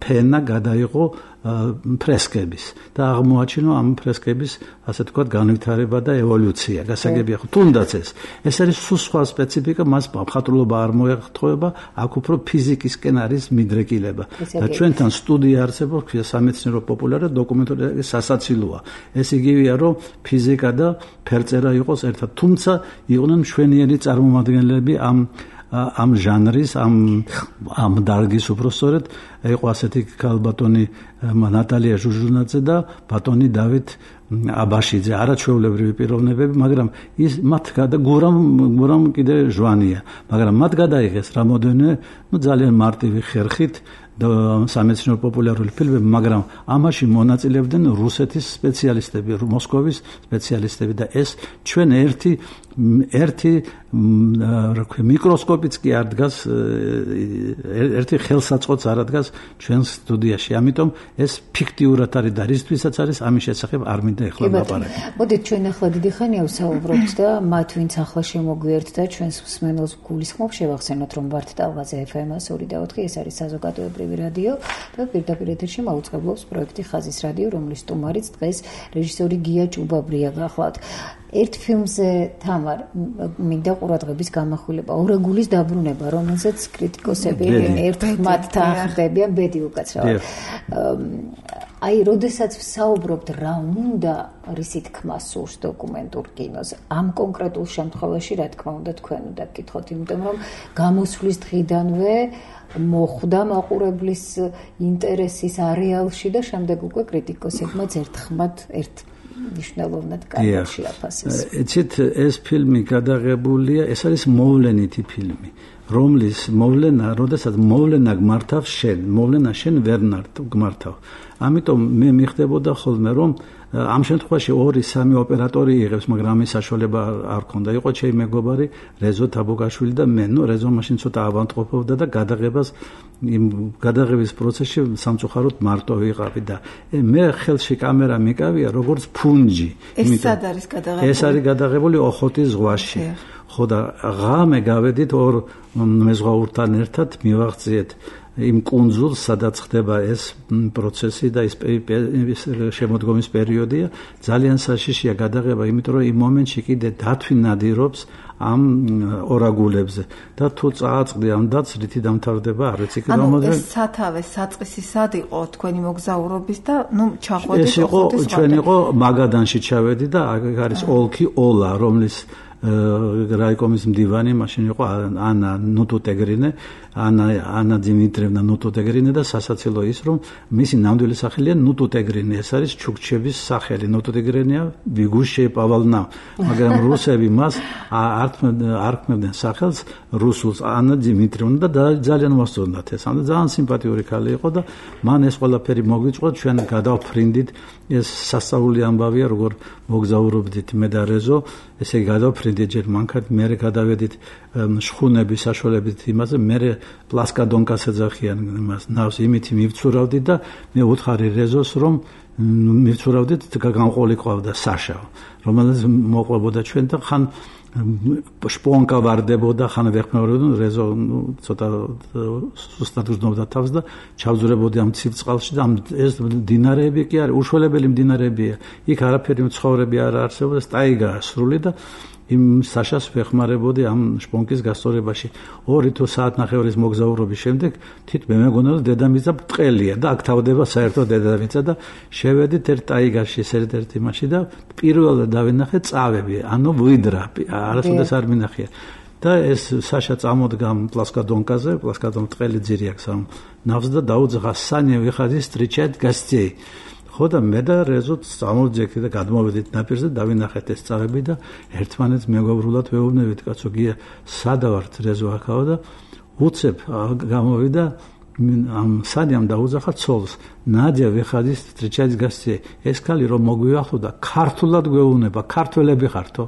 ფენა გადაიღო ფრესკების და აღმოაჩინო ამ ფრესკების ასე თქვა განვითარება და ევოლუცია. გასაგებია ხო, თუნდაც ეს ეს არის სულ სხვა სპეციფიკა, მას მხატვრულობა არ მოეხმარება, აქ უფრო ფიზიკისკენ არის მიდრეკილება. და ჩვენთან სტუდია არსებობს სამეცნიერო პოპულარული დოკუმენტური სასაცილოა. ეს იგივეა, რომ ფიზიკა და ფერწერა იყოს ერთად, თუმცა იყვნენ მშვენიერი წარმომადგენლები ამ ამ ჟანრის, ამ ამ დარგის უბრალოდ იყო ასეთი ქალბატონი ნატალია ჟუჟუნაძე და ბატონი დავით აბაშიძე, არაჩვეულებრივი პიროვნებები, მაგრამ ის მათ გურამ გურამ კიდე ჟვანია, მაგრამ მათ გადაიღეს რამოდენიმე, ну ძალიან მარტივი ხერხით და სამეცნიერო პოპულარული ფილმები, მაგრამ ამაში მონაწილეობდნენ რუსეთის სპეციალისტები, მოსკოვის სპეციალისტები და ეს ჩვენ ერთი ერთი რა ქვია მიკროსკოპიც კი არ დგას, ერთი ხელსაწყოც არ დგას ჩვენ სტუდიაში. ამიტომ ეს ფიქტიურად არის და რისთვისაც არის ამის შესახებ არ მინდა ეხლა ლაპარაკი. მოდით ჩვენ ახლა დიდი ხანია ვსაუბრობთ და მათ ვინც ახლა შემოგვიერთდა და ჩვენს მსმენელს გულისხმობ შევახსენოთ, რომ ვართ ტალღაზე ეფ ემ ორი და ოთხი, ეს არის საზოგადოებრივი რადიო და პირდაპირ ეთერში მაუწყებლობს პროექტი ხაზის რადიო, რომლის სტუმარიც დღეს რეჟისორი გია ჭუბაბრია გახლავთ. ერთ ფილმზე თამარ მინდა ყურადღების გამახვილება, ორაგულის დაბრუნება, რომელზეც კრიტიკოსები ერთხმად თანხმდებიან, ბედი უკაცრავად. აი, როდესაც ვსაუბრობთ რა უნდა რისი თქმა სურს დოკუმენტურ კინოს, ამ კონკრეტულ შემთხვევაში რა თქმა უნდა თქვენ უნდა გკითხოთ, იმიტომ რომ გამოსვლის დღიდანვე მოხვდა მაყურებლის ინტერესის არეალში და შემდეგ უკვე კრიტიკოსებმაც ერთხმად ერთ ნიშნულოვნად გადაშიაფასეს. იცით, ეს ფილმი გადაღებულია, ეს არის მოვლენითი ფილმი. რომლის მოვლენა, როდესაც მოვლენა გმართავ შენ, მოვლენა შენ ვერ გმართავ. ამიტომ მე მიხდებოდა ხოლმე რომ ამ შემთხვევაში ორი სამი ოპერატორი იღებს, მაგრამ ამის საშუალება არ ქონდა. იყო ჩემი მეგობარი რეზო თაბოგაშვილი და მე, ნუ რეზო მაშინ ცოტა ავანტყოფობდა და გადაღებას იმ გადაღების პროცესში სამწუხაროდ მარტო ვიყავი და მე ხელში კამერა მიკავია როგორც ფუნჯი. ეს სად არის გადაღებული? ეს არის გადაღებული ოხოტის ზღვაში. ხო და ღამე გავედით ორ მეზღვაურთან ერთად მივაღწიეთ იმ კუნძულს, სადაც ხდება ეს პროცესი და ეს შემოდგომის პერიოდია. ძალიან საშიშია გადაღება, იმიტომ რომ იმ მომენტში კიდე დათვი ნადირობს ამ ორაგულებზე და თუ წააწყდი ამ დათს, რითი დამთავრდება, არ ვიცი კი გამოდრე. ანუ ეს სათავე საწყისი სად იყო თქვენი მოგზაურობის და ნუ ჩახვედით ეს იყო ჩვენ იყო მაგადანში ჩავედი და აქ არის ოლქი ოლა, რომლის რაიკომის მდივანი მაშინ იყო ანა ნუტუტეგრინე, ანა ანა დიმიტრევნა ნუტუტეგრინე და სასაცილო ის რომ მისი ნამდვილი სახელია ნუტუტეგრინე, ეს არის ჩუქჩების სახელი. ნუტუტეგრინეა ბიგუშე პავალნა, მაგრამ რუსები მას არ ქმნებდნენ სახელს რუსულს, ანა დიმიტრევნა და ძალიან მოსწონდათ ეს. ანუ ძალიან სიმპათიური ქალი იყო და მან ეს ყველაფერი მოგვიწყო, ჩვენ გადავფრინდით. ეს სასწაული ამბავია, როგორ მოგზაურობდით მე და რეზო, ესე იგი გადავფრინდით ჯერ მანქანით, მერე გადავედით შხუნების საშუალებით იმაზე, მერე პლასკადონკას ეძახიან იმას ნავს, იმითი მივცურავდით და მე უთხარი რეზოს რომ მივცურავდით, გამყოლი ყავდა საშა, რომელიც მოყვებოდა ჩვენ და ხან შპონკა ვარდებოდა, ხან ვეხმარებოდა, რეზო ცოტა სუსტად უზნობდა თავს და ჩავძურებოდი ამ ცივ წყალში და ეს დინარეები კი არის, უშველებელი დინარეებია. იქ არაფერი მცხოვრები არ არსებობს, ტაიგაა სრული და იმ საშას ვეხმარებოდი ამ შპონკის გასწორებაში. ორი თუ საათნახევრის მოგზაურობის შემდეგ თითქმე მეგონა რომ დედამიწა ბრტყელია და აქ თავდება საერთოდ დედამიწა და შევედით ერთ ტაიგაში, ერთ-ერთ იმაში და პირველად დავინახე წავები, ანუ ვიდრა, არასოდეს არ მინახია. და ეს საშა წამოდგა პლასკადონკაზე, პლასკადონ ბრტყელი ძირი აქვს ამ ნავს და დაუძღა სანია ვიხადი სტრიჩად გასწეი. ხო და მე და რეზოთ წამოვძექით და გადმოვედით ნაპირზე, დავინახეთ ეს წავები და ერთმანეთს მეგობრულად ვეუბნებით, კაცო, გია სადავართ რეზო აქაო და უცებ გამოვიდა ამ სანიამ დაუძახა ცოლს. ნადია ვიხადის სტრიჩად გასწეი. ეს ქალი რომ მოგვიახო და ქართულად გვეუბნება, ქართველები ხართო?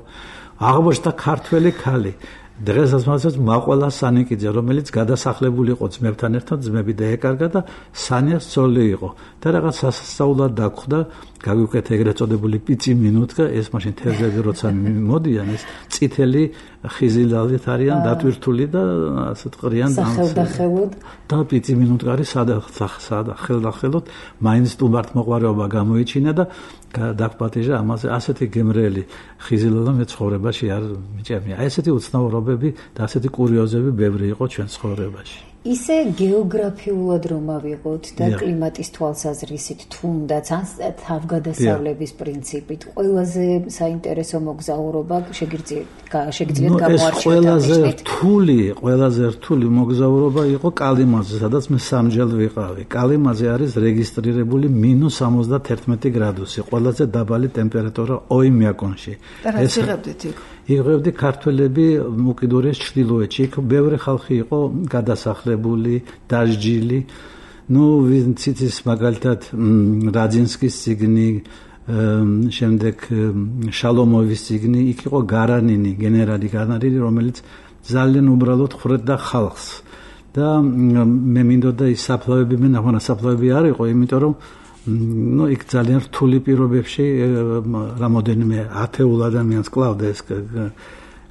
აღმოჩნდა ქართველი ქალი. დღესაც მასაც მაყვალა სანიკიძე, რომელიც გადასახლებული იყო ძმებთან ერთად, ძმები დაეკარგა და სანიას ცოლი იყო. და რაღაც სასწაულად დაგხვდა, გავიკვეთ ეგრეთ წოდებული პიცი მინუტკა, ეს მაშინ თევზები როცა მოდიან, ეს წითელი ხიზილალით არიან დატვირთული და ასეთ ყრიან სახელდახელოდ და პიცი მინუტკარი სადა სადა ხელდახელოდ მაინც სტუმართ მოყვარეობა გამოიჩინა და დაგპატიჟა ამაზე ასეთი გემრიელი ხიზილალა მე ცხოვრებაში არ მიჭერნია. აი ესეთი უცნაურობები და ასეთი კურიოზები ბევრი იყო ჩვენ ცხოვრებაში. ისე გეოგრაფიულად რომ ავიღოთ და კლიმატის თვალსაზრისით თუნდაც ან თავგადასავლების პრინციპით ყველაზე საინტერესო მოგზაურობა შეგიძლიათ გამოარჩიოთ. ეს ყველაზე რთული, ყველაზე რთული მოგზაურობა იყო კალიმაზე, სადაც მე სამჯერ ვიყავი. კალიმაზე არის რეგისტრირებული მინუს სამოცდაათერთმეტი გრადუსი, ყველაზე დაბალი ტემპერატურა ოიმიაკონში. და რაც იღებდით იქ? იღებდი ქართველები უკიდურეს ჩრდილოეთში, იქ ბევრი ხალხი იყო გადასახლებული, დასჯილი. ნუ ვიცით ის მაგალითად რაძინსკის ციგნი, შემდეგ შალომოვის ციგნი, იქ იყო გარანინი, გენერალი გარანინი, რომელიც ძალიან უბრალოდ ხრდა ხალხს. და მე მინდოდა ის საფლავები, მე ნახონა საფლავები არ იყო, იმიტომ რომ ну იქ ძალიან რთული პირობებში რამოდენიმე ათეულ ადამიანს კლავდა ეს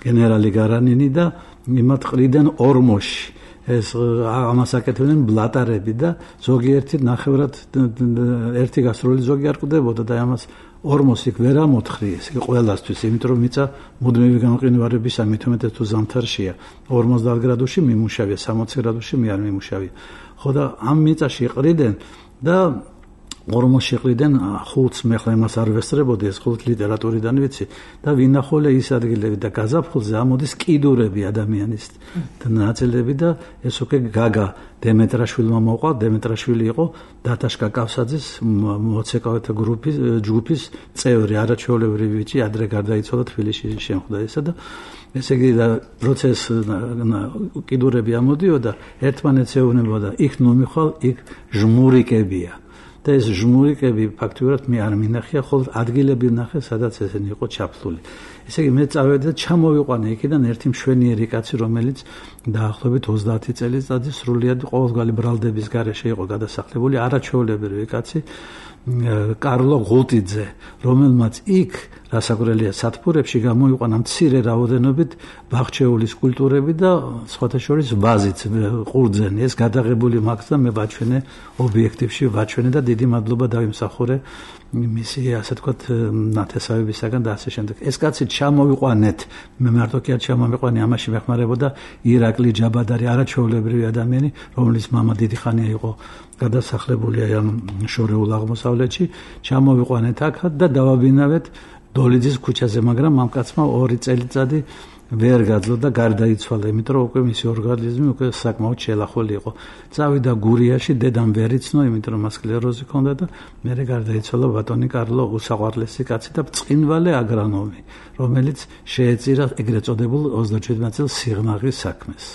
გენერალი გარანინი და იმათ ყრიდან ორმოში ეს ამას აკეთებდნენ ბლატარები და ზოგიერთი ნახევრად ერთი გასროლი ზოგი არ ყდებოდა და ამას ორმოს იქ ვერ ამოთხრიეს ყველასთვის, იმიტომ რომ მიწა მუდმივი გამყინვარებისა მეთორმეტე თუ ზამთარშია ორმოცდაათ გრადუსში მიმუშავია, სამოცი გრადუსში მე არ მიმუშავია. ხო და ამ მიწაში ყრიდან და ორმოშიყრიდან ხუთს მე ხლა იმას არ ვესწრებოდი ეს ხუთ ლიტერატურიდან ვიცი და ვინახულე ის ადგილები და გაზაფხულზე ამოდის კიდურები ადამიანის და ნაწილები და ეს უკვე გაგა დემეტრაშვილმა მოყვა დემეტრაშვილი იყო დათაშკა კავსაძის მოცეკვავეთა გრუპის ჯგუფის წევრი არაჩვეულებრივი ბიჭი ადრე გარდაიცვალა თბილისში შემხვდა ესა და ესე იგი და პროცეს კიდურები ამოდიოდა ერთმანეთს ეუბნებოდა იქ ნუ მიხვალ იქ ჟმურიკებია და ეს ჟმურიკები ფაქტიურად მე არ მინახია ხოლმე ადგილები ვნახე სადაც ესენი იყო ჩაფლული ესე იგი მე წავედი და ჩამოვიყვანე იქიდან ერთი მშვენიერი კაცი რომელიც დაახლოებით ოცდაათი წელიწადი სრულიად ყოველგვარი ბრალდების გარეშე იყო გადასახლებული არაჩვეულებრივი კაცი კარლო ღულტიძე რომელმაც იქ რასაკვირველია სათბურებში გამოიყვანა მცირე რაოდენობით ბაღჩეული სკულპტურები და სხვათა შორის ვაზიც ყურძენი ეს გადაღებული მაქვს და მე ვაჩვენე ობიექტივში ვაჩვენე და დიდი მადლობა დავიმსახურე მისი ასე თქვათ ნათესავებისაგან და ასე შემდეგ ეს კაცი ჩამოვიყვანეთ მე მარტო კი არ ჩამოვიყვანე ამაში მეხმარებოდა ირაკლი ჯაბადარი არაჩვეულებრივი ადამიანი რომელიც მამა დიდი ხანია იყო გადასახლებული აი ამ შორეულ აღმოსავლეთში ჩამოვიყვანეთ აქ და დავაბინავეთ დოლიძის ქუჩაზე მაგრამ ამ კაცმა ორი წელიწადი ვერ გაძლო და გარდაიცვალა იმიტომ რომ უკვე მისი ორგანიზმი უკვე საკმაოდ შელახული იყო წავიდა გურიაში დედამ ვერ იცნო იმიტომ რომ მას სკლეროზი ჰქონდა და მერე გარდაიცვალა ბატონი კარლო უსაყვარლესი კაცი და ბრწყინpráლე აგრონომი რომელიც შეეწირა ეგრეთ წოდებულ ოცდაშვიდმეტ წელს სიღნაღის საქმეს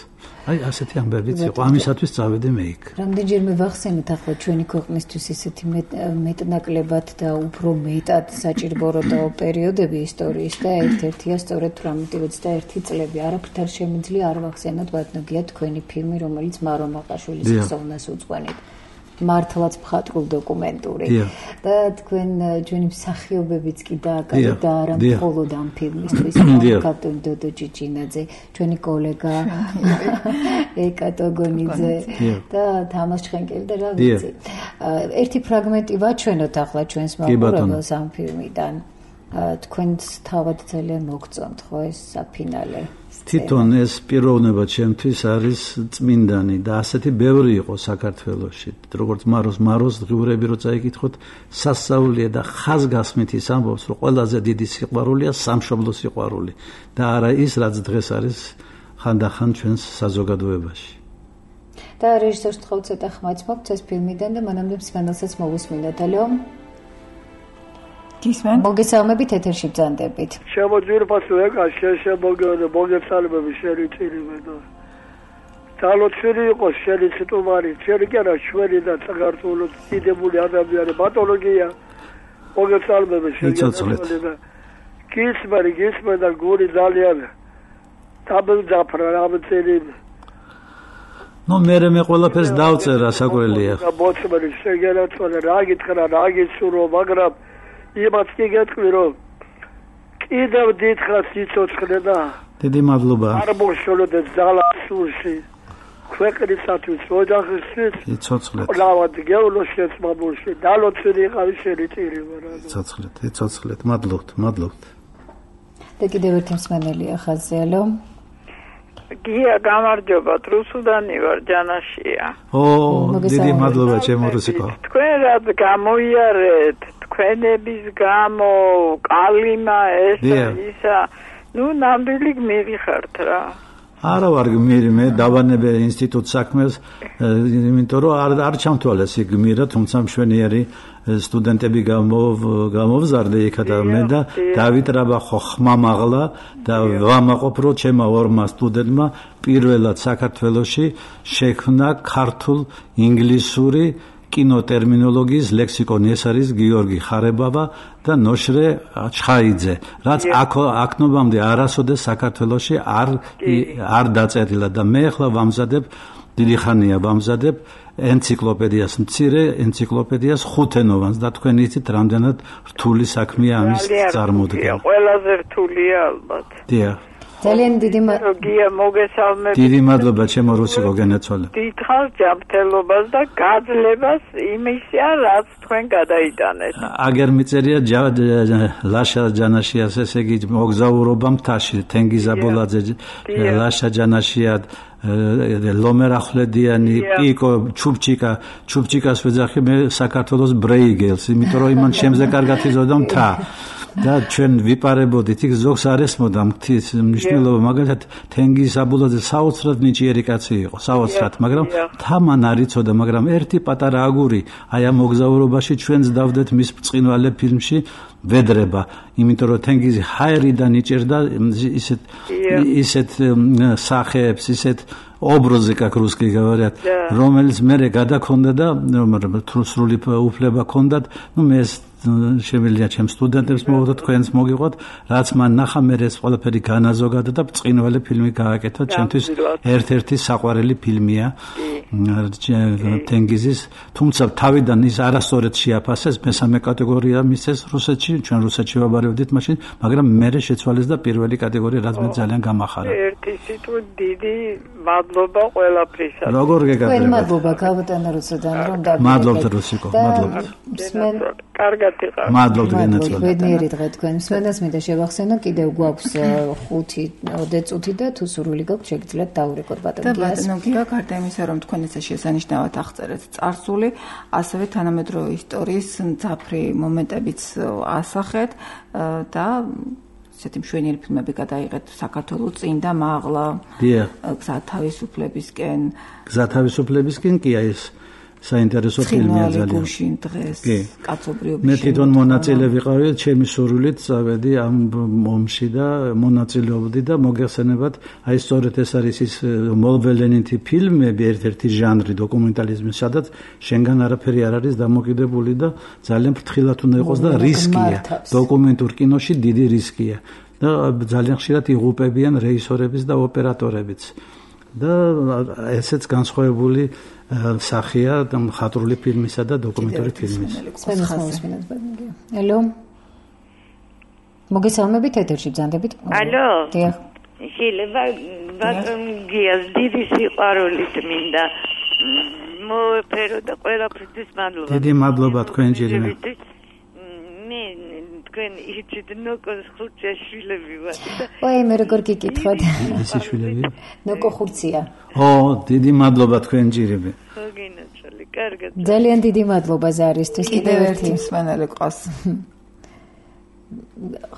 აი ასეთი ამბებიც იყო ამისათვის წავედი მე იქ რამდენჯერმე ვახსენეთ ახლა ჩვენი ქვეყნისთვის ისეთი მეტნაკლებად და უფრო მეტად საჭიროებო პერიოდები ისტორიის და ერთ-ერთია სწორედ თვრამეტი ოცდაერთი წლები არაფრით არ შემიძლია არ ვახსენოთ ბატონგია თქვენი ფილმი რომელიც მარო მაყაშვილის ხსოვნას უძღვენით მართლაც მხატვრულ დოკუმენტური და თქვენ ჩვენი მსახიობებიც კი დააკავეთ და არა მხოლოდ ამ ფილმისთვის კაპიტან დოდო ჭიჭინაძე ჩვენი კოლეგა ეკატო გონიძე და თამაშ ჩხენკელი და რა ვიცი ერთი ფრაგმენტი ვაჩვენოთ ახლა ჩვენს მაყურებელს ამ ფილმიდან თქვენს თავად ძალიან მოგწონთ ხო ეს საფინალე თვითონ ეს პიროვნება ჩემთვის არის წმინდანი და ასეთი ბევრი იყო საქართველოში როგორც მაროს მაროს ღიურები რო წაიკითხოთ სასწაულია და ხაზგასმით ის ამბობს რომ ყველაზე დიდი სიყვარულია სამშობლო სიყვარული და არა ის რაც დღეს არის ხანდახან ჩვენს საზოგადოებაში და რეჟისორს თქვა ცოტა ხმაც მოგვც ეს ფილმიდან და მანამდე მსმენელსაც მოვუსმინოთ ალო ისმენ მოგესალმებით ეთერში ბრძანდებით შემოძვირფასო ეკა შეშემოგონე მოგესალმები შენი წირიმე და ძალოცერი იყო შენი ციტუმარი შენი კი არა ჩვენი და საქართველოს დიდებული ადამიანი პათოლოგია მოგესალმები შენი და გისმარი გისმენ და გური ძალიან დაბლძაფრა რამწერი ნუ მე მე ყველაფერს დავწერა საკურელია მოწმენი შეგერაცვალე რა გითხრა რა გიცურო მაგრამ იმას კი გეტყვი რომ კიდევ დიდხანს იცოცხლე და დიდი მადლობა არ მოშოლოდე ძალა სულში ქვეყნისათვის ოჯახისთვის იცოცხლეთ ლავად გეულოშიც მაბულში დალოცილი იყავი შენი წირი მარა იცოცხლეთ იცოცხლეთ მადლობთ მადლობთ და კიდევ ერთი მსმენელია ხაზზე ალო გია გამარჯობა რუსუდანი ვარ ჯანაშია ო დიდი მადლობა ჩემო რუსიკო თქვენ რაც გამოიარეთ თქვენების გამო კალიმა ეს ისა ნუ ნამდვილი გმირი ხართ რა არა ვარ გმირი მე დავანებე ინსტიტუტ საქმეს იმიტომ რომ არ არ ჩამთვალეს იქ გმირა თუმცა მშვენიერი სტუდენტები გამო გამოვზარდე იქა და მე და დავიტრაბა ხო ხმამაღლა და ვამაყოფ რომ ჩემა ორმა სტუდენტმა პირველად საქართველოში შექმნა ქართულ ინგლისური კინოტერმინოლოგიის ლექსიკონი ეს არის გიორგი ხარებავა და ნოშრე ჩხაიძე რაც აქნობამდე არასოდეს საქართველოში არ არ დაწერილა და მე ახლა ვამზადებ დიდი ხანია ვამზადებ ენციკლოპედიას მცირე ენციკლოპედიას ხუთენოვანს და თქვენ იცით რამდენად რთული საქმეა ამის წარმოდგენა ყველაზე რთულია ალბათ დიახ ძალიან დიდი გია მოგესალმებით. დიდი მადლობა ჩემო რუსიკო გენაცვალე. დიდხანს ჯანმრთელობას და გაძლებას იმისა, რაც თქვენ გადაიტანეთ. აგერ მიწერია ლაშა ჯანაშიას, ესე იგი მოგზაურობა მთაში, თენგიზ აბოლაძე ლაშა ჯანაშია ლომერახლედიანი პიკო ჩუბჩიკა ჩუბჩიკას ვეძახი მე საქართველოს ბრეიგელს, იმიტომ რომ იმან შემზე კარგად იზოდა მთა და ჩვენ ვიპარებოდით იქ ზოგს არ ესმოდა მთის მნიშვნელობა, მაგალითად თენგიზ აბოლაძე საოცრად ნიჭიერი კაცი იყო, საოცრად, მაგრამ მთა მან არ იცოდა, მაგრამ ერთი პატარა აგური აი ამ მოგზაურობაში ჩვენს დავდეთ მის ბრწყინვალე ფილმში ვედრება, იმიტომ რომ თენგიზი ჰაერიდან იჭერდა ისეთ ისეთ სახეებს, ისეთ образы, как русские говорят, რომელიც მე გადაქონდა და სრული უფლება ქონდათ, ну მე შემიძლია ჩემ სტუდენტებს მოვდო, თქვენს მოგიყვოთ, რაც მან ნახა, მე ეს ყველაფერი განაზოგადა და ბრწყინვალე ფილმი გააკეთა, ჩემთვის ერთ-ერთი საყვარელი ფილმია თენგიზის, თუმცა თავიდან ის არასწორად შეაფასეს, მესამე კატეგორია მისცეს რუსეთში, ჩვენ რუსეთში ვაბარებდით მაშინ, მაგრამ მე შეცვალეს და პირველი კატეგორია, რაც მე ძალიან გამახარა. ერთი სიტყვით დიდი მადლობა ყველაფრისა. როგორ გეკადრებთ? თქვენ მადლობა გავუტანა რუსოდან რომ და მადლობთ რუსიკო, მადლობთ. კარგად იყავ. მადლობთ გენაცვალე. ბედნიერი დღე თქვენ. მსმენელს მინდა შევახსენო, კიდევ გვაქვს ხუთი წუთი და თუ სურვილი გაქვთ შეგიძლიათ დაურეკოთ ბატონო გიას. და ბატონო გია, გარდა იმისა, რომ თქვენ ესე შესანიშნავად აღწერეთ წარსული, ასევე თანამედროვე ისტორიის მძაფრი მომენტებიც ასახეთ და ესეთი მშვენიერი ფილმები გადაიღეთ საქართველოს წინ და მაღლა. დიახ. გზა თავისუფლებისკენ. გზა თავისუფლებისკენ კი ეს საინტერესო ფილმია ძალიან. გუშინ დღეს კაცობრიობის. მე თვითონ მონაწილე ვიყავი, ჩემი სურვილით წავედი ამ ომში და მონაწილეობდი და მოგეხსენებათ, აი სწორედ ეს არის ის მოლველენითი ფილმები, ერთ-ერთი ჟანრი დოკუმენტალიზმის, სადაც შენგან არაფერი არ არის დამოკიდებული და ძალიან ფრთხილად უნდა იყოს და რისკია. დოკუმენტურ კინოში დიდი რისკია და ძალიან ხშირად იღუპებიან რეჟისორებიც და ოპერატორებიც. და ესეც განსხვავებული სახეა მხატვრული ფილმისა და დოკუმენტური ფილმის. ალო. მოგესალმებით ეთერში ბრძანდებით. ალო. დიახ. შეიძლება ბატონ გიას დიდი სიყვარულით მინდა მოეფერო და ყველაფრისთვის მადლობა. დიდი მადლობა თქვენ ჯერიმე. მე თქვენ იცით ნოკოს ხურცია შვილები ვარ. ой, მე როგორ გიკითხოთ? ისი შვილები? ნოკო ხურცია. ო, დიდი მადლობა თქვენ ჯერიმე. ხო გინაცვალე, კარგად. ძალიან დიდი მადლობა ზარისთვის. კიდევ ერთი მსმენელი ყავს.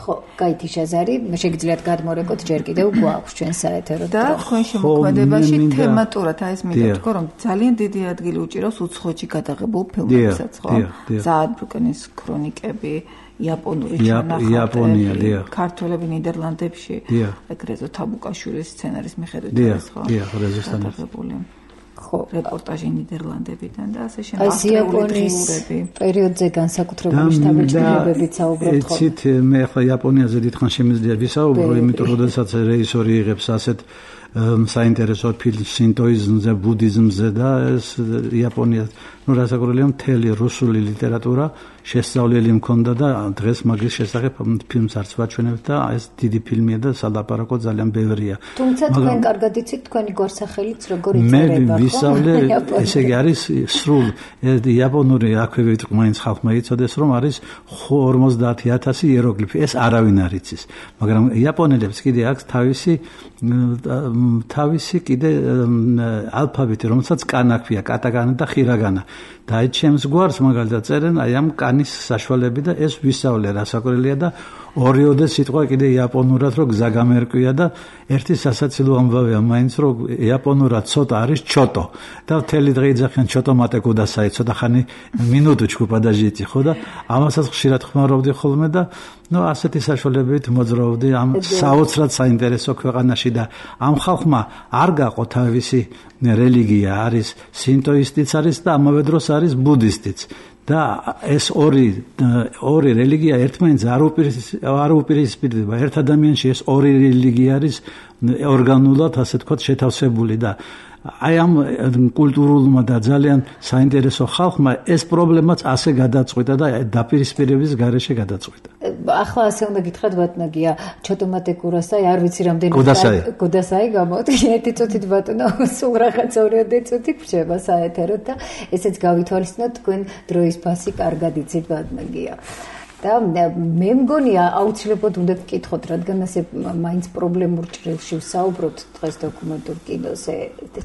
ხო, გაითი შაზარი, შეგიძლიათ გადმორეკოთ ჯერ კიდევ გვაქვს ჩვენ საეთერო და თქვენ შემოქმედებაში თემატურად აი ეს მინდა თქვა რომ ძალიან დიდი ადგილი უჭირავს უცხოეთში გადაღებულ ფილმებსაც, ხო? ზაადბრუკენის ქრონიკები, იაპონური ჩანახატები, ქართველები ნიდერლანდებში, ეგრეზო თაბუკაშვილის სცენარის მიხედვით არის, ხო? დიახ, რეზოსთან გადაღებული. ხო, რეპორტაჟი ნიდერლანდებიდან და ასე შემდეგ. აი იაპონიის პერიოდზე განსაკუთრებული შთაბეჭდილებებით საუბრობთ ხო? იცით, მე ახლა იაპონიაზე დიდხანს შემიძლია ვისაუბრო, იმიტომ რომ როდესაც რეჟისორი იღებს ასეთ საინტერესო ფილმს სინტოიზმზე, ბუდიზმზე და ეს იაპონია, ну რასაკვირველია, მთელი რუსული ლიტერატურა შესწავლილი მქონდა და დღეს მაგის შესახებ ფილმს არც ვაჩვენებთ და ეს დიდი φιλმია და სალაპარაკო ძალიან ბევრია. თუმცა თქვენ კარგად იცით თქვენი გვარსახელიც როგორ იწერება, ხო? მე ვისწავლე, ესე იგი არის სრულ იაპონური, აქვე ვიტყვი, მაინც ხალხმა იცოდეს, რომ არის ორმოცდაათი ათასი იეროგლიფი, ეს არავინ არ იცის. მაგრამ იაპონელებს კიდე აქვს თავისი თავისი კიდე ალფაბეტი, რომელსაც კანა ქვია, კატაკანა და ხირაგანა. და აი ჩემს გვარს მაგალითად წერენ აი ამ კანის საშუალები და ეს ვისწავლე რასაკვირველია და ორიოდე სიტყვა კიდე იაპონურად რო გზა გამერკვია და ერთი სასაცილო ამბავია მაინც რო იაპონურად ცოტა არის ჩოტო და მთელი დღე იძახიან ჩოტო მატე კუდასაი ცოტა ხანი მინუტუჩკუ პადაჟიტი ხო და ამასაც ხშირად ხმარობდი ხოლმე და ну ასეთი საშუალებებით მოძრაობდი ამ საოცრად საინტერესო ქვეყანაში და ამ ხალხმა არ გაყო თავისი რელიგია არის სინტოისტიც არის და ამავე დროს არის ბუდისტიც და ეს ორი ორი რელიგია ერთმანეთს არ უპირისპირდება ერთ ადამიანში ეს ორი რელიგია არის ორგანულად ასე თქვა შეთავსებული და აი ამ კულტურულმა და ძალიან საინტერესო ხალხმა ეს პრობლემაც ასე გადაწყვიტა და დაპირისპირების გარეშე გადაწყვიტა. ახლა ასე უნდა გითხრათ ბატონია, ჩოტომატე კურასაი, არ ვიცი რამდენი კუდასაი. კუდასაი გამოვთქვი ერთი წუთით ბატონო, სულ რაღაც ორი წუთი გრჩება საეთეროდ და ესეც გავითვალისწინოთ თქვენ დროის ფასი კარგად იცით ბატონია. და მე მგონია აუცილებლად უნდა გკითხოთ, რადგან ასე მაინც პრობლემურ ჭრილში ვსაუბრობთ დღეს დოკუმენტურ კინოზე.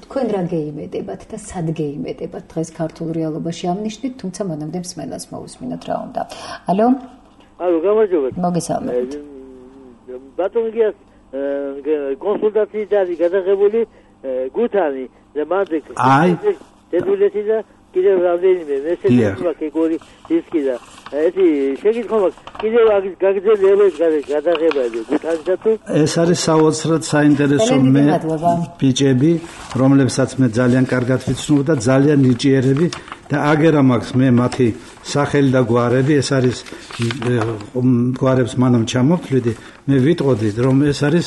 თქვენ რა გეიმედებათ და სად გეიმედებათ დღეს ქართულ რეალობაში ამნიშნით, თუმცა მანამდე მსმენელს მოусმინოთ რა უნდა. ალო? ალო, გამარჯობათ. მოგესალმებით. ბატონგიას კონსულტაციით არის გადაღებული გუთანი და მანდ აი დედულეთი და კიდევ რამდენიმე მესეჯი კეგორი დისკი და ეთი შეგიძლია კიდევ გაგრძელებს გადაღება გუთანისა თუ ეს არის საოცრად საინტერესო მე ბიჭები რომლებსაც მე ძალიან კარგად ვიცნობ და ძალიან ნიჭიერები და აგერა მაქვს მე მათი სახელი და გვარები ეს არის გვარებს მანამ ჩამოვთვლიდი მე ვიტყოდი რომ ეს არის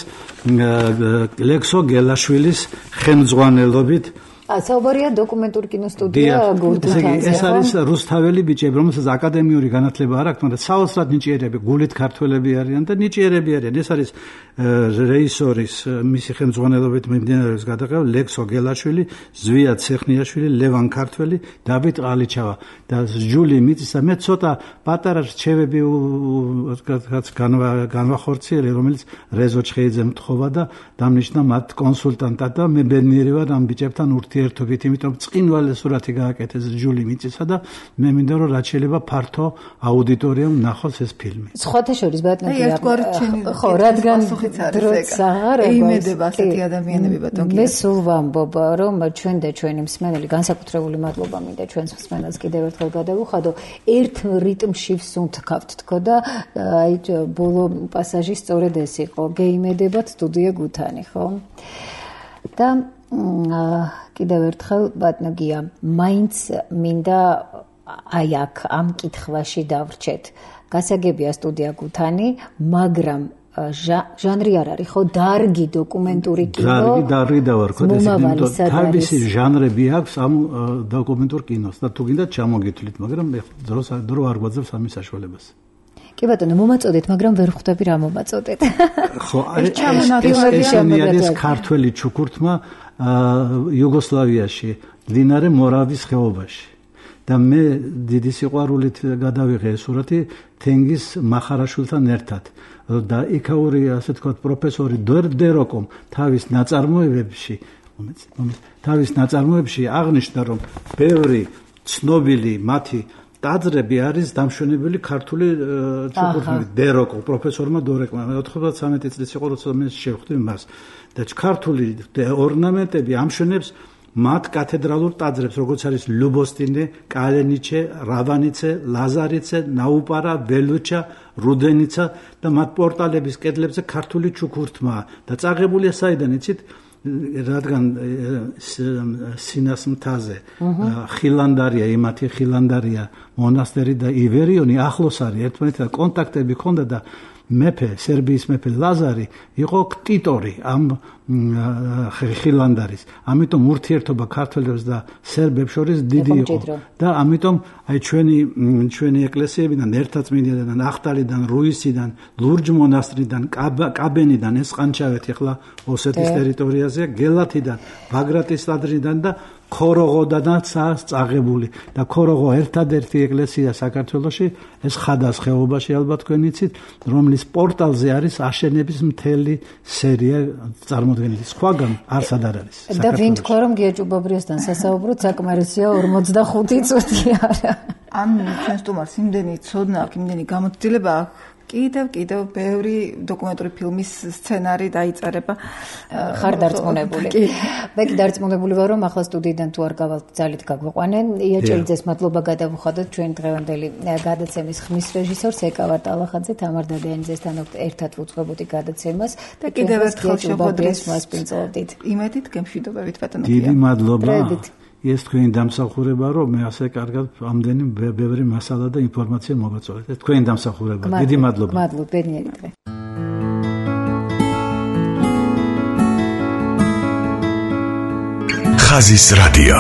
ლექსო გელაშვილის ხელმძღვანელობით საუბარია დოკუმენტური კინოსტუდია გურგუთანზე. ეს არის რუსთაველი ბიჭები, რომელსაც აკადემიური განათლება არ აქვთ, მაგრამ საოცრად ნიჭიერები, გულით ქართველები არიან და ნიჭიერები არიან. ეს არის რეჟისორის მისი ხელმძღვანელობით მიმდინარეობს გადაღება ლექსო გელაშვილი, ზვია ცეხნიაშვილი, ლევან ქართველი, დავით ყალიჩავა და ჯული მიწისა. მე ცოტა პატარა რჩევები რაც განვახორციელე, რომელიც რეზო ჩხეიძე მთხოვა და დამნიშნა მათ კონსულტანტად და მე ბედნიერი ვარ ამ ბიჭებთან ურთიერთობით, იმიტომ წინვალე სურათი გააკეთეს ჯული მიწისა და მე მინდა რომ რაც შეიძლება ფართო აუდიტორიამ ნახოს ეს ფილმი. სხვათა შორის ბატონი ერთგვარი ჩენი ხო რადგან დროც აღარ იმედება ასეთი ადამიანები ბატონი. მე სულ ვამბობ რომ ჩვენ და ჩვენი მსმენელი განსაკუთრებული მადლობა მინდა ჩვენს მსმენელს კიდევ ერთხელ გადავუხადო ერთ რიტმში ვსუნთქავთ თქო და აი ბოლო პასაჟი სწორედ ეს იყო გეიმედებათ სტუდია გუთანი ხო და კიდევ ერთხელ ბატონია მაინც მინდა აი აქ ამ კითხვაში დავრჩეთ გასაგებია სტუდია გუთანი მაგრამ ჟანრი არ არის ხო დარგი დოკუმენტური კინო დარგი დარგი დავარქოთ ეს თავისი ჟანრები აქვს ამ დოკუმენტურ კინოს და თუ გინდა ჩამოგითვლით მაგრამ დროს დრო არ გვაძლევს ამის საშუალებას კი ბატონო მომაწოდეთ მაგრამ ვერ ხვდები რა მომაწოდეთ ხო ეს არის ქართველი ჩუქურთმა იუგოსლავიაში მდინარე მორავის ხეობაში და მე დიდი სიყვარულით გადავიღე ეს სურათი თენგიზ მახარაშვილთან ერთად და იქაური ასე ვთქვათ პროფესორი დეროკომ თავის ნაწარმოებებში თავის ნაწარმოებებში აღნიშნა რომ ბევრი ცნობილი მათი ტაძრები არის დამშვენებელი ქართული ჩუქურთმით დეროკო პროფესორმა დორეკმა ოთხმოცდამეტი წლის იყო როცა მე შევხვდი მას და ქართული ორნამენტები ამშვენებს მათ კათედრალურ ტაძრებს როგორც არის ლუბოსტინე, კალენიჩე, რავანიცე, ლაზარიცე, ნაუპარა, ველუჩა, რუდენიცა და მათ პორტალების კედლებზე ქართული ჩუქურთმაა და წაღებულია საიდან იცით რადგან სინას მთაზე ხილანდარია იმათი ხილანდარია მონასტერი და ივერიონი ახლოს არის ერთმანეთთან კონტაქტები ჰქონდა და მეფე სერბიის მეფე ლაზარი იყო ქტიტორი ამ ხილანდარის ამიტომ ურთიერთობა ქართველებს და სერბებს შორის დიდი იყო და ამიტომ აი ჩვენი ჩვენი ეკლესიებიდან ერთაწმინდიდან ახტალიდან რუისიდან ლურჯ მონასტრიდან კაბენიდან ესყანჩავეთი ახლა ოსეთის ტერიტორიაზეა გელათიდან ბაგრატის ტაძრიდან და ქოროღოდანაც წაღებული და ქოროღო ერთადერთი ეკლესია საქართველოში ეს ხადას ხეობაში ალბათ თქვენ იცით რომლის პორტალზე არის აშენების მთელი სერია წარმოდგენილი სხვაგან არსად არ არის და ვინ თქვა რომ გია ჭუბაბრიასთან სასაუბროთ საკმარისია ორმოცდახუთი წუთი არა ან ჩვენ სტუმარს იმდენი ცოდნა აქვს იმდენი გამოცდილება აქვს კიდევ კიდევ ბევრი დოკუმენტური ფილმის სცენარი დაიწერება ხარ დარწმუნებული. მე კი დარწმუნებული ვარ რომ ახლა სტუდიიდან თუ არ გავალთ ძალით გაგვიყვანენ. იაჭელიძეს მადლობა გადავუხადოთ ჩვენ დღევანდელი გადაცემის ხმის რეჟისორს ეკავა ტალახაძე თამარ დადიანიძესთან ერთად ვუძღვებოდი გადაცემას და კიდევ ერთხელ შეხვედრით მასპინძლობდით. იმედით გემშვიდობებით ბატონო. დიდი მადლობა. ეს თქვენი დამსახურება რომ მე ასე კარგად ამდენი ბევრი მასალა და ინფორმაცია მოგაწოდეთ. ეს თქვენი დამსახურება. დიდი მადლობა. მადლობა, ბედნიერი დღე. ხაზის რადიო